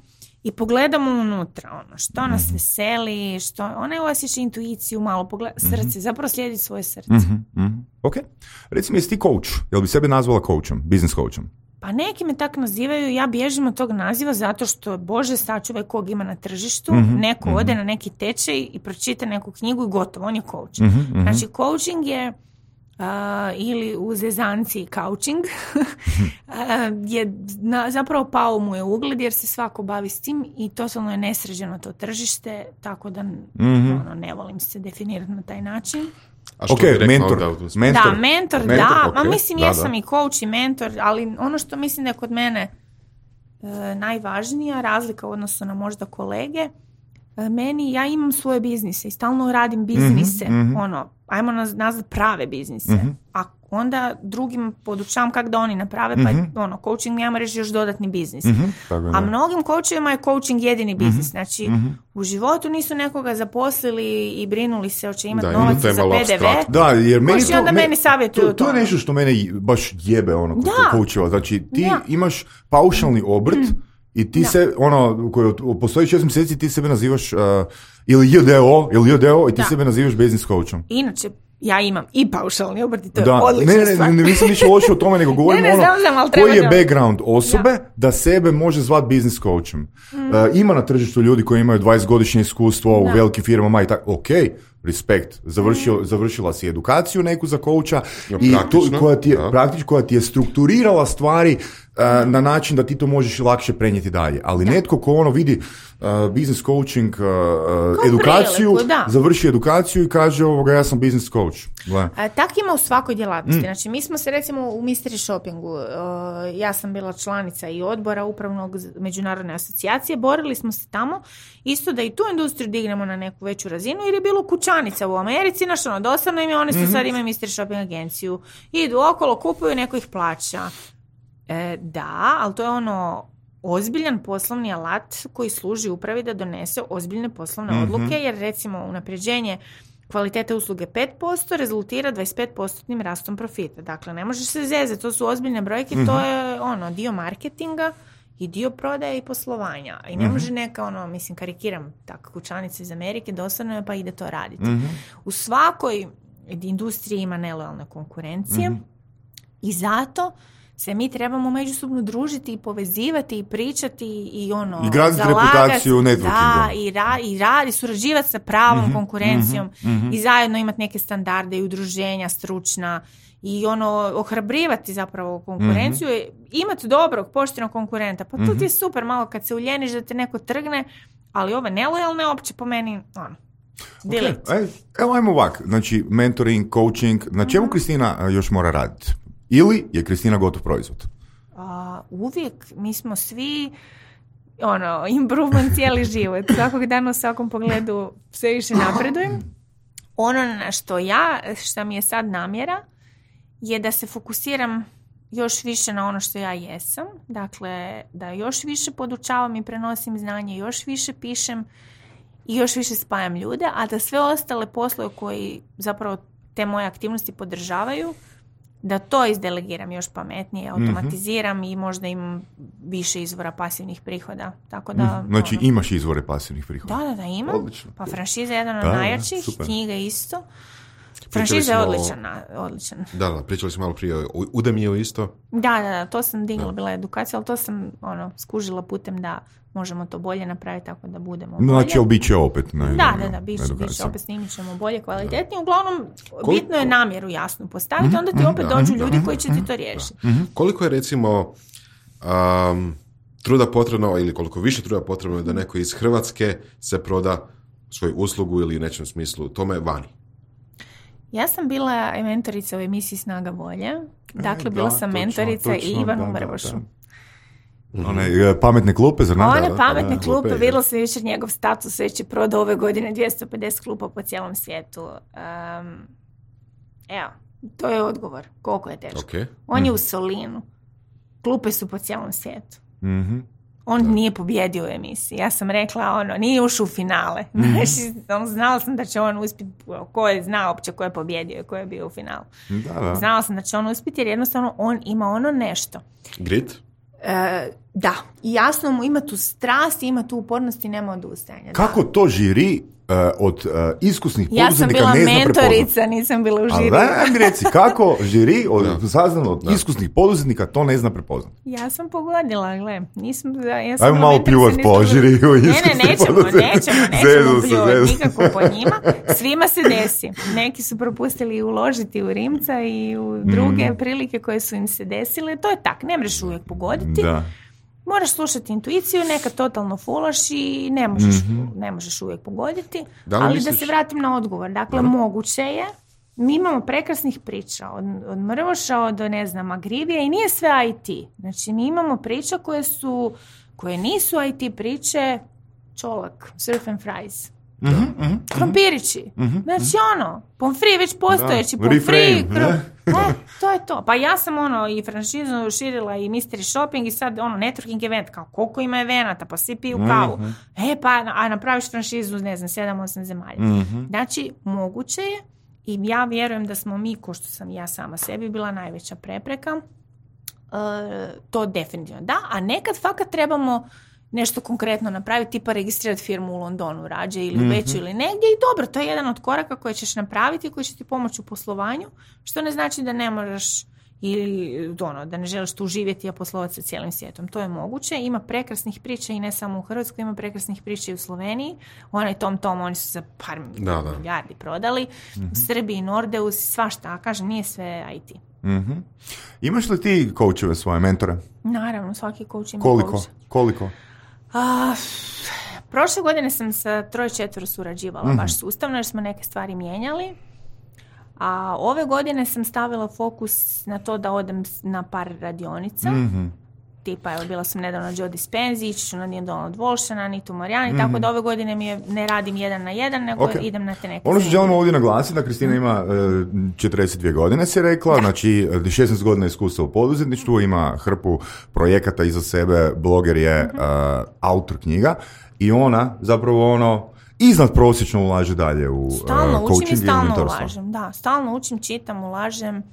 i pogledamo unutra, ono, što nas mm-hmm. veseli, što, ona je osjeća intuiciju, malo pogleda, srce, mm-hmm. zapravo slijedi svoje srce. Mm-hmm. Mm-hmm. Ok. Recimo, jesi ti coach? Jel bi sebe nazvala coachom, business coachom? Pa neki me tak nazivaju, ja bježim od tog naziva zato što, Bože, sačuvaj kog ima na tržištu, mm-hmm. neko mm-hmm. ode na neki tečaj i pročita neku knjigu i gotovo, on je coach. Mm-hmm. Znači, coaching je Uh, ili u zezanci coaching uh, je na, zapravo pao mu je ugled jer se svako bavi s tim i totalno je nesređeno to tržište, tako da mm-hmm. ono, ne volim se definirati na taj način. A što okay, bi mentor, da, mentor, da, mentor, mentor da, okay. ma mislim da, jesam da. i coach i mentor, ali ono što mislim da je kod mene uh, najvažnija razlika u odnosu na možda kolege, uh, meni, ja imam svoje biznise i stalno radim biznise, mm-hmm. ono, ajmo nazvati prave biznise, mm-hmm. a onda drugim podučavam kako da oni naprave, mm-hmm. pa ono, coaching njama reći još dodatni biznis. Mm-hmm. A mnogim coachovima je coaching jedini biznis. Mm-hmm. Znači, mm-hmm. u životu nisu nekoga zaposlili i brinuli se hoće imati novac za P D V. Da, jer meni to, onda meni savjetuju to. To je nešto što mene baš jebe ono kod coachova. Znači, ti da. imaš paušalni obrt mm. i ti da. se, ono, koji postoji šest mjeseci, ti sebe nazivaš uh, ili J D O, ili J D O i ti da. sebe nazivaš business coachom. Inače, ja imam i paušalni obrt i to da. je odlična ne, ne, stvar. Ne, ne, nisam ništa loše o tome, nego govorim ne, ne, ono, znam, znam, koji je background osobe da. da sebe može zvati business coachom. Mm. Uh, ima na tržištu ljudi koji imaju dvadesetgodišnje iskustvo u velikim firmama i tako, ok, respekt, Završio, mm. završila si edukaciju neku za coacha ja, i to, koja, ti je, praktično, koja ti je strukturirala stvari uh, na način da ti to možeš lakše prenijeti dalje. Ali da. netko ko ono vidi uh, business coaching, uh, edukaciju, priliku, završi edukaciju i kaže ovoga, ja sam business coach. A, tak ima u svakoj djelatnosti. Mm. Znači, mi smo se recimo u Mystery Shoppingu, uh, ja sam bila članica i odbora upravnog međunarodne asocijacije, borili smo se tamo isto da i tu industriju dignemo na neku veću razinu jer je bilo kućanica u Americi, znaš ono, dosadno im je, oni su mm-hmm. sad imaju Mystery Shopping agenciju, idu okolo, kupuju, neko ih plaća. E, da, ali to je ono ozbiljan poslovni alat koji služi upravi da donese ozbiljne poslovne mm-hmm. odluke, jer recimo unapređenje kvalitete usluge pet posto rezultira dvadeset pet posto rastom profita. Dakle, ne možeš se zezati, to su ozbiljne brojke, mm-hmm. to je ono dio marketinga i dio prodaje i poslovanja. I ne mm-hmm. može neka, ono, mislim, karikiram tako, kućanica iz Amerike, dosadno je pa ide to raditi. Mm-hmm. U svakoj industriji ima nelojalne konkurencije mm-hmm. i zato se mi trebamo međusobno družiti i povezivati i pričati i ono, i graditi reputaciju networkinga. Da, i, ra, i radi, surađivati sa pravom mm-hmm, konkurencijom mm-hmm. i zajedno imati neke standarde i udruženja stručna i ono, ohrabrivati zapravo konkurenciju, mm-hmm. imati dobrog, poštenog konkurenta. Pa mm-hmm. tu ti je super malo kad se uljeniš da te neko trgne, ali ove nelojalne opće po meni, ono, delete. Okay. Evo, ajmo ovak, znači mentoring, coaching, na čemu mm-hmm. Kristina još mora raditi? Ili je Kristina gotov proizvod? A, uvijek, mi smo svi ono, improvement cijeli život. Svakog dana u svakom pogledu sve više napredujem. Ono na što ja, što mi je sad namjera, je da se fokusiram još više na ono što ja jesam. Dakle, da još više podučavam i prenosim znanje, još više pišem i još više spajam ljude, a da sve ostale poslove koji zapravo te moje aktivnosti podržavaju, da to izdelegiram još pametnije, automatiziram mm-hmm. i možda imam više izvora pasivnih prihoda. Tako da, mm, znači ono, imaš izvore pasivnih prihoda? Da, da, da imam. Odlično. Pa franšiza je jedan od da, najjačih, super. knjiga isto. Franšiza je odličan, odličan. Da, da, pričali smo malo prije o Udemiju isto. Da, da, da, to sam digla, bila edukacija, ali to sam ono, skužila putem da možemo to bolje napraviti tako da budemo bolje. Znači, ali bit će opet. Ne, da, da, da, bit će, bit će opet snimit ćemo bolje, kvalitetnije. Uglavnom, koliko, bitno je namjeru jasno postaviti, onda ti opet dođu ljudi koji će ti to riješiti. Koliko je recimo um, truda potrebno, ili koliko više truda potrebno je da neko iz Hrvatske se proda svoju uslugu ili u nečem smislu tome vani? Ja sam bila mentorica u emisiji Snaga volje. Dakle, e, bila da, sam točno, mentorica točno, i Ivanu da, Mrvošu. da, da. One pametne klupe, zar ne? One da, pametne da, klupe, da, vidjela sam jučer njegov status, već je prodao ove godine dvjesto pedeset klupa po cijelom svijetu. Um, evo, to je odgovor. Koliko je teško. Okay. On mm. je u Solinu. Klupe su po cijelom svijetu. Mm-hmm. On da. nije pobjedio u emisiji. Ja sam rekla, ono, nije ušao u finale. Mm-hmm. Znači, on, znala sam da će on uspjeti, ko je znao uopće ko je pobjedio i ko je bio u finalu. Da, da. Znala sam da će on uspjeti jer jednostavno on ima ono nešto. Grit? E, da. I jasno mu ima tu strast, ima tu upornost i nema odustajanja. Kako da. to žiri uh, od uh, iskusnih ja poduzetnika ne zna prepoznat? Ja sam bila mentorica, nisam bila u žiri. Ali mi reci, kako žiri od saznano od da. iskusnih poduzetnika to ne zna prepoznat? Ja sam pogodila, gle. Nisam, ja sam ajmo malo pljuvat po žiriju. Ne, ne, nećemo, nećemo, nećemo pljuvat nikako po njima. Svima se desi. Neki su propustili uložiti u Rimca i u druge mm. prilike koje su im se desile. To je tak, ne možeš uvijek pogoditi. Da. Moraš slušati intuiciju, nekad totalno fulaš i ne možeš, mm-hmm. ne možeš uvijek pogoditi. Da ali misliš? Da se vratim na odgovor. Dakle, da. moguće je. Mi imamo prekrasnih priča. Od, od Mrvoša, od, ne znam, Agrivija i nije sve I T. Znači, mi imamo priča koje su, koje nisu I T priče, čolak, surf and fries. Mm-hmm, mm-hmm, krompirići. Mm-hmm, znači ono, pomfri već postojeći, pomfri, krom... e, to je to. Pa ja sam ono i franšizu širila i mystery shopping i sad ono networking event, kao koliko ima evenata, pa svi piju kavu. Mm-hmm. E pa, a napraviš franšizu, ne znam, sedam osam zemalja. Mm-hmm. Znači, moguće je i ja vjerujem da smo mi, ko što sam ja sama sebi, bila najveća prepreka. Uh, to definitivno da, a nekad fakat trebamo nešto konkretno napraviti, tipa registrirati firmu u Londonu rađe ili u Beću mm-hmm. ili negdje i dobro, to je jedan od koraka koje ćeš napraviti i koji će ti pomoći u poslovanju, što ne znači da ne moraš ili ono, da ne želiš tu živjeti i poslovati sa cijelim svijetom. To je moguće. Ima prekrasnih priča i ne samo u Hrvatskoj, ima prekrasnih priča i u Sloveniji. Onaj Tom Tom, oni su za par da, da. milijardi prodali. Mm-hmm. U Srbiji, Nordeus, svašta, kažem, nije sve I T. Mm-hmm. Imaš li ti coacheve svoje, mentore? Naravno, svaki coach ima Koliko? coach. Koliko? A, prošle godine sam sa troje četvero surađivala mm-hmm. baš sustavno jer smo neke stvari mijenjali. A ove godine sam stavila fokus na to da odem na par radionica. Mm-hmm. Tipa, evo, bila sam nedavno na Joe Dispenza, ići ću na Neil Donald Walshana, Nitu Marijani, mm-hmm. tako da ove godine mi je, ne radim jedan na jedan, nego okay. idem na te neke. Ono što želimo ovdje naglasiti, da Kristina ima uh, četrdeset dvije godine, si rekla, da. Znači šesnaest godina iskustva u poduzetništvu, ima hrpu projekata iza sebe, bloger je mm-hmm. uh, autor knjiga i ona zapravo ono iznad prosječno ulaže dalje u stalno uh, coaching učim i stalno i ulažem, da, stalno učim, čitam, ulažem.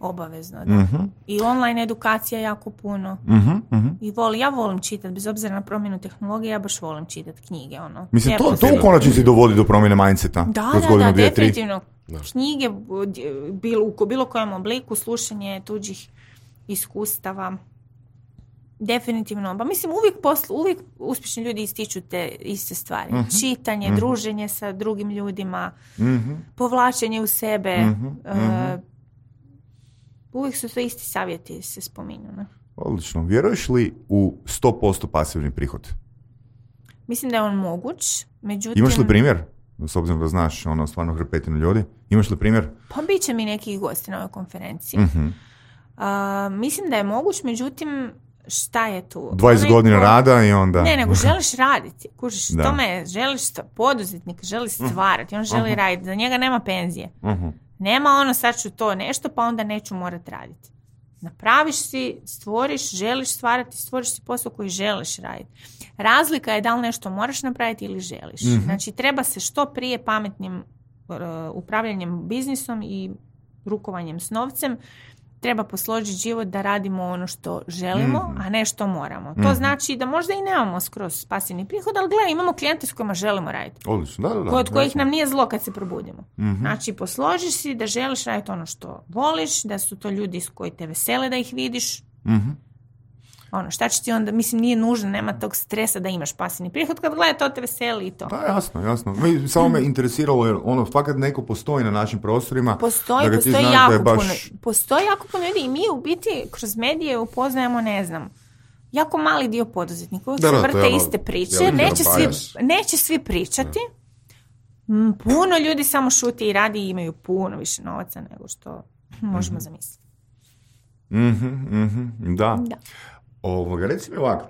Obavezno, da. Mm-hmm. I online edukacija jako puno. Mm-hmm, mm-hmm. I voli, ja volim čitati, bez obzira na promjenu tehnologije, ja baš volim čitati knjige. Ono. Mislim, to, to u konačnici dovodi do promjene mindseta. Da, da, godinu, da, dvije, definitivno. Da. Knjige bilo, u bilo kojem obliku, slušanje tuđih iskustava. Definitivno. Pa mislim, uvijek, poslu, uvijek uspješni ljudi ističu te iste stvari. Mm-hmm. Čitanje, mm-hmm. druženje sa drugim ljudima, mm-hmm. povlačenje u sebe, mm-hmm. uh, uvijek su to isti savjeti se spominju. Ne? Odlično. Vjeruješ li u sto posto pasivni prihod? Mislim da je on moguć. Međutim, imaš li primjer? S obzirom da znaš ono, stvarno hrpetinu ljudi. Imaš li primjer? Pa bit će mi nekih gosti na ovoj konferenciji. Mm-hmm. Uh, mislim da je moguć, međutim šta je tu? dvadeset Onaj, godina rada i onda... Ne, nego želiš raditi. Kužiš, tome želiš poduzetnik, želi stvarati. On želi uh-huh. raditi. Za njega nema penzije. Uh-huh. Nema ono sad ću to nešto pa onda neću morati raditi. Napraviš si, stvoriš, želiš stvarati, stvoriš si posao koji želiš raditi. Razlika je da li nešto moraš napraviti ili želiš. Mm-hmm. Znači treba se što prije pametnim uh, upravljanjem biznisom i rukovanjem s novcem treba posložiti život da radimo ono što želimo, Mhm. a ne što moramo. To znači da možda i nemamo skroz pasivni prihod, ali gledaj, imamo klijente s kojima želimo raditi. Odlično, da, da, da. Kod kojih jasno. nam nije zlo kad se probudimo. Mhm. Znači, posložiš si da želiš raditi ono što voliš, da su to ljudi s koji te vesele da ih vidiš. Mhm. Ono, šta će ti onda, mislim, nije nužno, nema tog stresa da imaš pasivni prihod, kad gledaj, to te veseli i to. Da, jasno, jasno. Mi, samo me interesiralo, jer ono, fakat neko postoji na našim prostorima. Postoji, da ga ti postoji znaš jako da je baš... puno, postoji jako puno ljudi i mi u biti kroz medije upoznajemo, ne znam, jako mali dio poduzetnika, uvijek Da, se da, to vrte je ono iste priče, veliki neće svi, bias. neće svi pričati. Mm, Puno ljudi samo šuti i radi i imaju puno više novaca nego što možemo zamisliti. Mhm, mhm, da. Da. Ovoga, reci mi ovako,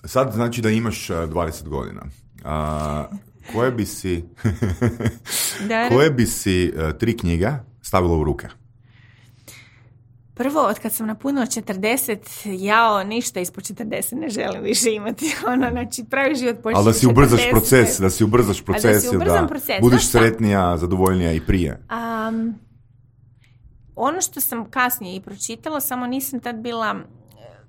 sad znači da imaš a, dvadeset godina. A, koje bi si Da, koje bi si a, tri knjige stavila u ruke? Prvo, od kad sam napunila četrdeset, jao, ništa ispod četrdeset ne želim više imati. Ono, znači, pravi život počinje Ali da si ubrzaš četrdeset. proces, da si ubrzaš proces, si i ubrzam da proces, budiš znaš šta? sretnija, zadovoljnija i prije. Um, ono što sam kasnije i pročitala, samo nisam tad bila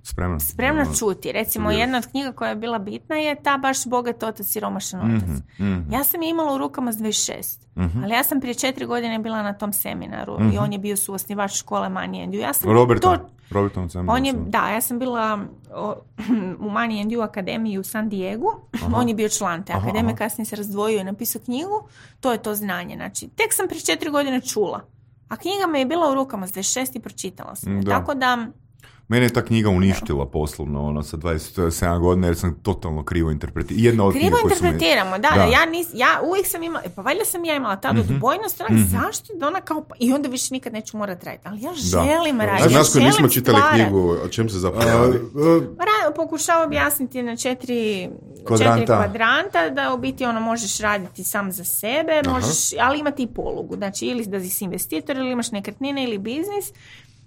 Spremna? spremna Ono, čuti. Recimo, studirati. jedna od knjiga koja je bila bitna je ta baš Bogat otac, siromašan otac. Mhm, mhm, Ja sam je imala u rukama s dvadeset šest, mhm. ali ja sam prije četiri godine bila na tom seminaru i on je bio suosnivač škole Money and You. Ja sam Roberta, to... Robertom sam. On je, da, ja sam bila o, u Money and You akademiji u San Diegu, on je bio član te Aha, akademije, aha. kasnije se razdvojio i napisao knjigu, to je to znanje. Znači, tek sam prije četiri godine čula, a knjiga me je bila u rukama s dvadeset šest i pročitala sam. je. Da. Tako da, Mene je ta knjiga uništila poslovno, ono, sa dvadeset sedam godina, jer sam totalno krivo interpretirao. Jedna od krivo knjiga koje su me- interpretiramo, da, da, Da. ja, nis, ja uvijek sam imala, pa valjda sam ja imala tada odbojnost, onak, zašto da ona kao, pa- i onda više nikad neću morat raditi, ali ja želim Da. raditi, Za ja nas koji želim nismo čitali stvarat. knjigu, o čem se zapravo A, radi? a, Ra- pokušava objasniti na četiri Kvadranta. četiri kvadranta da u biti ono možeš raditi sam za sebe, možeš, ali imati i polugu. Znači ili da si investitor ili imaš nekretnine ili biznis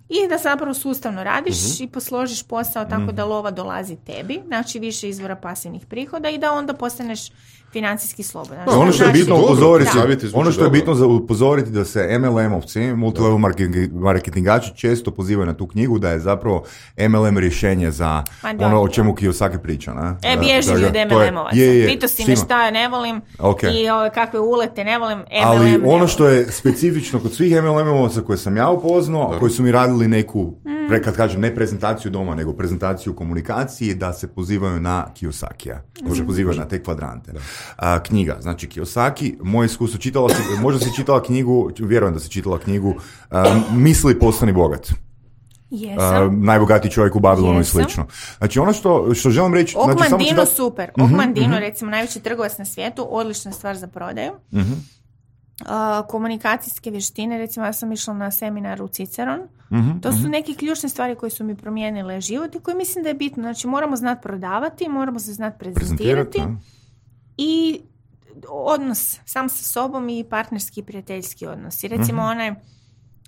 i da zapravo sustavno radiš i posložiš posao tako da lova dolazi tebi, znači više izvora pasivnih prihoda i da onda postaneš financijski slobodan. ono što je Znači- bitno Dobro, upozoriti, da. Savjeti zvuče ono što je dobro. bitno za upozoriti da se M L M-ovci, multilevel marketing- marketingači često pozivaju na tu knjigu da je zapravo M L M rješenje za Pa da. ono o čemu Kiyosaki priča. Na? E, Da, bježi da ga- od to je- M L M-ovaca. je, je, Pitao si me štima. šta ne volim Ok. i ove, kakve ulete ne volim, M L M Ali ne ono volim. što je specifično kod svih M L M-ovaca koje sam ja upoznao, koji su mi radili neku, pre, kad kažem ne prezentaciju doma, nego prezentaciju komunikaciji, da se pozivaju na Kiyosakija. Da se pozivaju na te kvadrante. A, knjiga, znači Kiyosaki, moje iskustvo, čitala si, možda si čitala knjigu, vjerujem da si čitala knjigu a, Misli postani bogat. Jesam. A, najbogatiji čovjek u Babilonu i Jesam. slično. Znači ono što, što želim reći... znači, samo ću Ogmandino dat- super. Ogmandino, recimo, najveći trgovac na svijetu, odlična stvar za prodaju. Mhm. Uh, komunikacijske vještine, recimo ja sam išla na seminar u Ciceron. Mhm, To su neke ključne stvari koje su mi promijenile život i koje mislim da je bitno. Znači moramo znati prodavati, moramo se znati prezentirati Prezentirati, da. i odnos sam sa sobom i partnerski i prijateljski odnos. I recimo onaj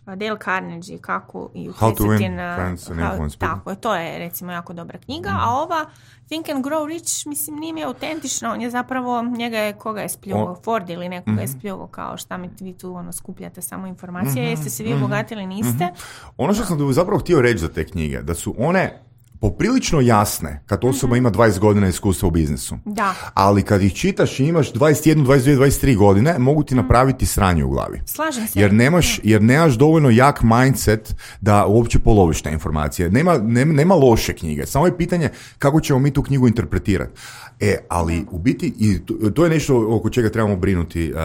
Dale Carnegie, kako i Mhm. How to utjecati win na... friends and how- influence people. tako je, to je recimo jako dobra knjiga, a ova Think and Grow Rich, mislim, nije mi autentično, on je zapravo, njega je, koga je spljuvao, On- Ford ili nekoga je Mhm. spljuvao, kao šta mi vi tu ono, skupljate samo informacije, jeste se vi obogatili, niste. Ono što sam zapravo htio reći za te knjige, da su one poprilično jasne kad osoba ima dvadeset godina iskustva u biznisu. Da. Ali kad ih čitaš i imaš dvadeset jedna, dvadeset dvije, dvadeset tri godine, mogu ti napraviti sranje u glavi. Slažem se. Jer nemaš, jer nemaš dovoljno jak mindset da uopće poloviš te informacije. Nema, nema, nema loše knjige, samo je pitanje kako ćemo mi tu knjigu interpretirati. E, ali u biti, i to, to je nešto oko čega trebamo brinuti. Uh,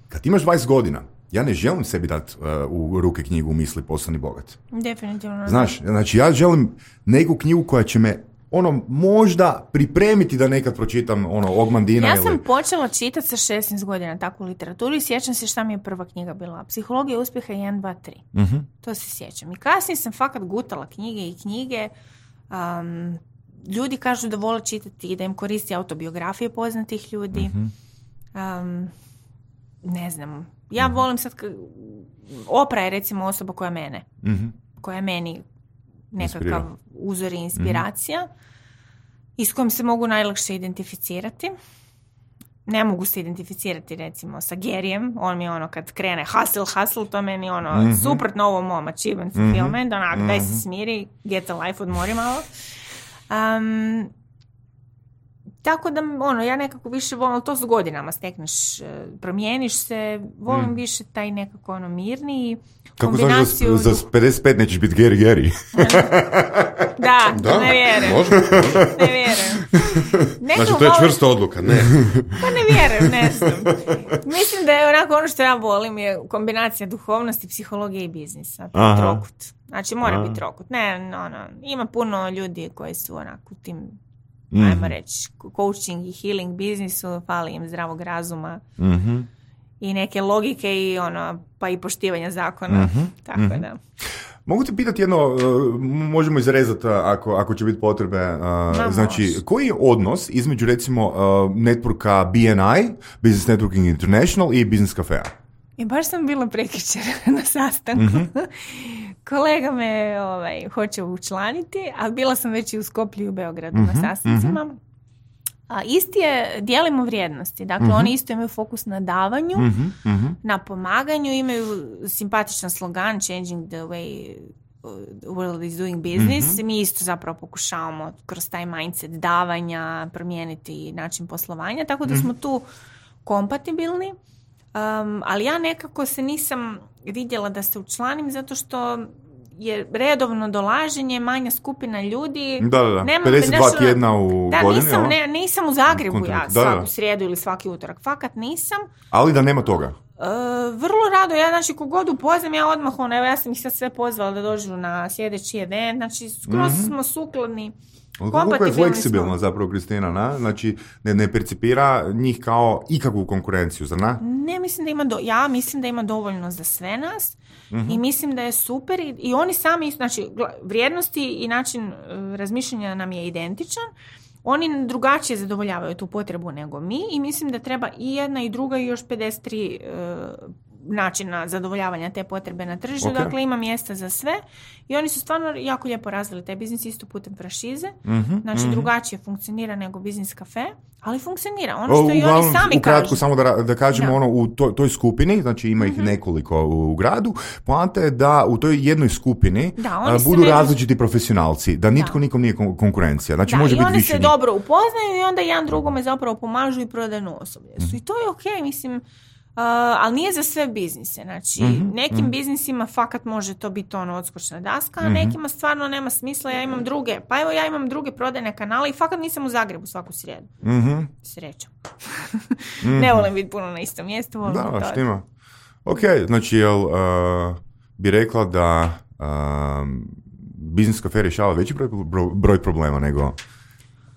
kad imaš dvadeset godina, ja ne želim sebi dati uh, u ruke knjigu Misli postani bogat. Definitivno. Znaš, znači ja želim neku knjigu koja će me ono možda pripremiti da nekad pročitam ono Ogmandina Ja ili... sam počela čitati sa šesnaest godina takvu literaturu i sjećam se šta mi je prva knjiga bila. Psihologija uspjeha jedan, dva, tri. Mhm. To se sjećam. I kasnije sam fakat gutala knjige i knjige. Um, ljudi kažu da vole čitati i da im koristi autobiografije poznatih ljudi. Um, ne znam. Ja volim sad... K- Oprah je recimo osoba koja mene. Mhm. Koja je meni nekakav Inspirira. uzor i inspiracija i s kojim se mogu najlakše identificirati. ne mogu se identificirati recimo sa Garyjem, on mi je ono kad krene hustle, hustle, to meni ono mm-hmm. suprotno ovom mom achievement mm-hmm. fulfillment, onak mm-hmm. daj se smiri, get a life, odmori malo. Um, tako da ono, ja nekako više volim, to s godinama stekneš, promijeniš se, volim mm. više taj nekako ono mirniji kombinaciju. Kako znaš za, za pedeset pet nećeš biti Gary Gary? Da, da, ne vjerujem. Može, može. Ne vjerujem. Neko znači, to je volim... čvrsta odluka, ne. Pa ne vjerujem, ne znam. Mislim da je onako ono što ja volim je kombinacija duhovnosti, psihologije i biznisa. Trokut. Znači, mora Aha. biti trokut. Ne, no, no. Ima puno ljudi koji su onako u tim, mm. ajmo reći, coaching i healing biznisu, fali im zdravog razuma. Mm-hmm. I neke logike i ono, pa i poštivanja zakona. Mm-hmm. Tako mm-hmm. da. Mogu te pitati jedno, uh, možemo izrezati ako, ako će biti potrebe, uh, Ma, znači, može. koji je odnos između recimo uh, networka B N I, Business Networking International i Business Cafea? I baš sam bila prekjučer na sastanku. Mm-hmm. Kolega me ovaj, hoće učlaniti, ali bila sam već i u Skoplju i u Beogradu mm-hmm. na sastancima. Mm-hmm. A isti je, dijelimo vrijednosti. Dakle, mm-hmm. oni isto imaju fokus na davanju, mm-hmm. Mm-hmm. na pomaganju, imaju simpatičan slogan Changing the way the world is doing business. Mm-hmm. Mi isto zapravo pokušavamo kroz taj mindset davanja promijeniti način poslovanja, tako da mm-hmm. smo tu kompatibilni. Um, ali ja nekako se nisam vidjela da se učlanim zato što je redovno dolaženje, manja skupina ljudi. Da, da, da. Nema, pedeset dva nešto, tjedna u da, godini. Nisam, ne, nisam u Zagrebu Kontinent. ja da, svaku da. srijedu ili svaki utorak. Fakat nisam. Ali da nema toga. Uh, vrlo rado, ja znači kogod upoznam, ja odmah, ono, evo ja sam ih sad sve pozvala da dođu na sljedeći event, znači skroz mm-hmm. smo sukladni. Koliko je fleksibilna zapravo Kristina, na? Znači ne, ne percipira njih kao ikakvu konkurenciju, zar na? Ne, mislim da ima, do, ja mislim da ima dovoljno za sve nas mm-hmm. i mislim da je super i, i oni sami, znači vrijednosti i način uh, razmišljanja nam je identičan. Oni drugačije zadovoljavaju tu potrebu nego mi i mislim da treba i jedna i druga i još pedeset tri uh, načina zadovoljavanja te potrebe na tržištu. Okay. Dakle, ima mjesta za sve i oni su stvarno jako lijepo razvili taj biznis isto putem franšize. Mm-hmm, znači, mm-hmm. drugačije funkcionira nego Biznis Cafe, ali funkcionira. Ono što o, i oni sami ukratko, kažu. samo da, da kažemo da. ono, u toj, toj skupini, znači ima ih mm-hmm. nekoliko u gradu, poanta je da u toj jednoj skupini da, budu ne... različiti profesionalci, da nitko da. nikom nije konkurencija. Znači, da, može i biti oni više se njih. dobro upoznaju i onda jedan drugome zapravo pomažu i prodajnu osoblje. Mm-hmm. I to je okej, okay, mislim. Uh, ali nije za sve biznise. Znači, mm-hmm, nekim mm-hmm. biznisima fakat može to biti ono odskočna daska, a mm-hmm. nekima stvarno nema smisla. Ja imam druge, pa evo ja imam druge prodajne kanale i fakat nisam u Zagrebu svaku srijedu. Mm-hmm. Srećom. mm-hmm. Ne volim biti puno na istom mjestu. Volim da, to. štima. Ok, znači, jel uh, bi rekla da uh, Biznis Cafe rješava veći broj, broj problema nego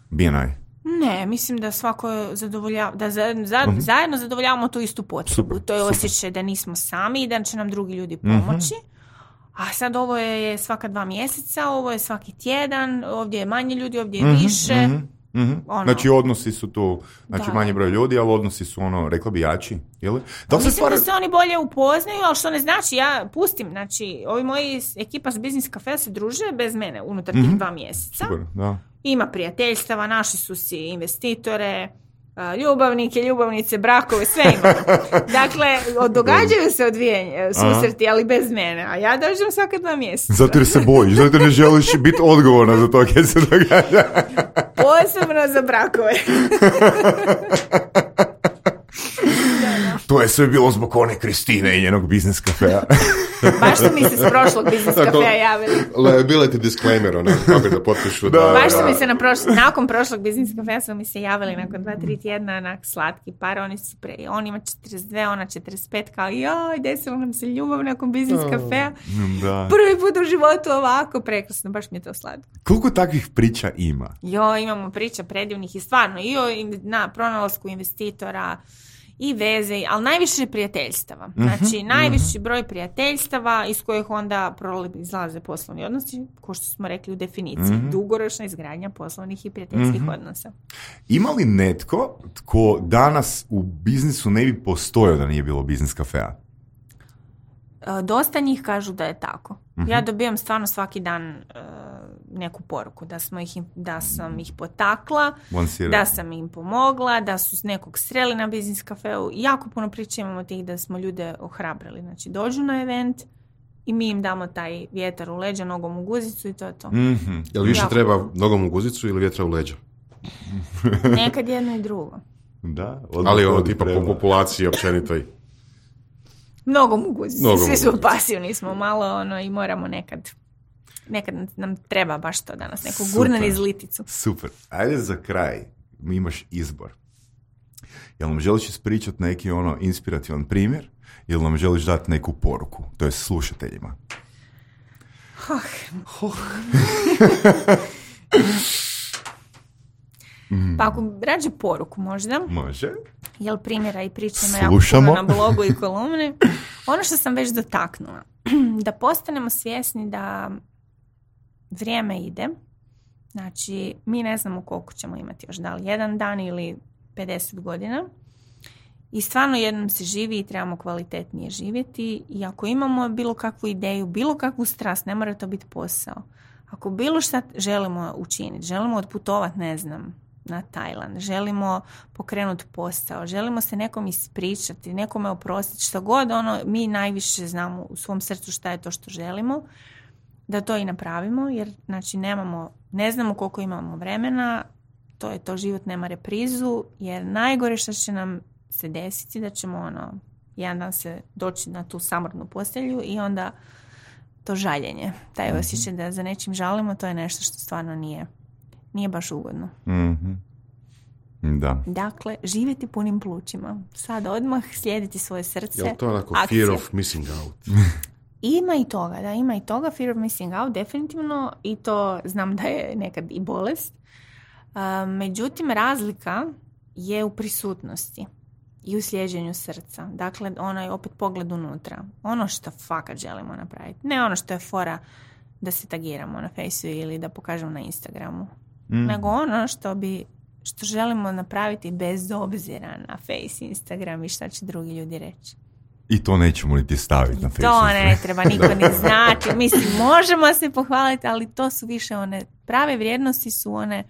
B N I? Ne, mislim da svako zadovoljava, da za, za, uh-huh. zajedno zadovoljavamo tu istu potrebu. Super, to je super. Osjećaj da nismo sami i da će nam drugi ljudi pomoći. Uh-huh. A sad ovo je svaka dva mjeseca, ovo je svaki tjedan, ovdje je manje ljudi, ovdje je uh-huh. više. Uh-huh. Uh-huh. Ono. Znači odnosi su tu, znači da. manje broj ljudi, ali odnosi su ono, rekla bi jači, jel? Da mislim stvar... da se oni bolje upoznaju, ali što ne znači, ja pustim, znači ovi moji ekipa s Biznis Cafe se druže bez mene unutar uh-huh. tih dva mjeseca. Super, da. Ima prijateljstava, našli su si investitore, ljubavnike, ljubavnice, brakove, sve imamo. Dakle, događaju se odvijenje, susreti, ali bez mene. A ja dođem svaka dva mjeseca. Zato jer se bojiš, zato jer ne želiš biti odgovorna za to kad se događa. Posebno za brakove. To je sve bilo zbog one Kristine i njenog Biznis Cafea. Baš su mi se s prošlog Biznis Cafea javili. Liability disclaimer, ono, kako da potpišu. Da, Baš da. su mi se na prošlo, nakon prošlog Biznis Cafea su mi se javili nakon dva, tri tjedna onak slatki par, oni su pre, on ima četrdeset dvije, ona četrdeset pet, kao joj, desilo nam se ljubav nakon Biznis Cafea. Da. Prvi put u životu ovako, prekrasno, baš mi je to slatko. Koliko takvih priča ima? Jo, imamo priča predivnih i stvarno, i o na pronalasku investitora, i veze, ali najviše prijateljstava. Znači, mm-hmm, najviši broj prijateljstava iz kojih onda izlaze poslovni odnosi, ko što smo rekli u definiciji, mm-hmm. dugoročna izgradnja poslovnih i prijateljskih mm-hmm. odnosa. Ima li netko tko danas u biznisu ne bi postojao da nije bilo Biznis Cafea? Dosta njih kažu da je tako. Mm-hmm. Ja dobijam stvarno svaki dan uh, neku poruku, da, smo ih, da sam ih potakla, Monsira. da sam im pomogla, da su s nekog sreli na biznis kafeu. Jako puno priča imamo tih da smo ljude ohrabrili. Znači, dođu na event i mi im damo taj vjetar u leđa, nogom u guzicu i to je to. Mm-hmm. Jel više Jako. treba nogom u guzicu ili vjetra u leđa? Nekad jedno i drugo. Da, Ali ono tipa po populaciji općenito i... Mnogo mu guzicu. Mnogo Svi mu su guzicu. pasivni smo malo ono, i moramo nekad, nekad nam treba baš to danas, neku Super. gurnan iz liticu. Super. Ajde za kraj, mi imaš izbor. Jel nam želiš ispričati neki ono inspirativan primjer ili nam želiš dati neku poruku, to je slušateljima? Oh. Oh. Pa ako rađe poruku možda, Može. jel primjera i priča ima Slušamo. jako puno na blogu i kolumni. Ono što sam već dotaknula, da postanemo svjesni da vrijeme ide, znači mi ne znamo koliko ćemo imati još, da li jedan dan ili pedeset godina i stvarno jednom se živi i trebamo kvalitetnije živjeti i ako imamo bilo kakvu ideju, bilo kakvu strast, ne mora to biti posao. Ako bilo šta želimo učiniti, želimo otputovati, ne znam, na Tajland, želimo pokrenuti posao, želimo se nekom ispričati, nekome oprostiti, što god ono, mi najviše znamo u svom srcu šta je to što želimo, da to i napravimo, jer znači nemamo, ne znamo koliko imamo vremena, to je to, život nema reprizu, jer najgore što će nam se desiti da ćemo ono, jedan dan se doći na tu samrtnu postelju i onda to žaljenje, taj osjećaj da za nečim žalimo, to je nešto što stvarno nije, nije baš ugodno. Mm-hmm. Da. Dakle, živjeti punim plućima. Sad odmah slijediti svoje srce. Jel to onako akcija. fear of missing out? Ima i toga, da, ima i toga, fear of missing out, definitivno, i to znam da je nekad i bolest. Uh, međutim, razlika je u prisutnosti i u slijeđenju srca. Dakle, onaj opet pogled unutra. Ono što fakat želimo napraviti. Ne ono što je fora da se tagiramo na Faceu ili da pokažemo na Instagramu. Mm. Nego ono što bi što želimo napraviti bez obzira na Face, Instagram i šta će drugi ljudi reći. I to nećemo niti staviti na Facebook. To ne treba niko ni znati. Mislim, možemo se pohvaliti, ali to su više one prave vrijednosti su one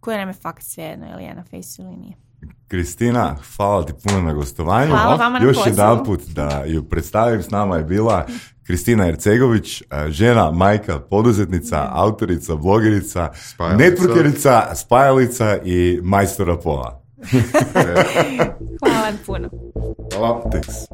koje nam je fakt svejedno, ili je na Faceu ili nije. Kristina, hvala ti puno na gostovanju. Hvala vama na Još pozivu. jedan put da ju predstavim, s nama je bila Kristina Ercegović, žena, majka, poduzetnica, autorica, blogerica, Spajalica. networkerica, spajalica i majstora pola. Hvala puno. Hvala. Thanks.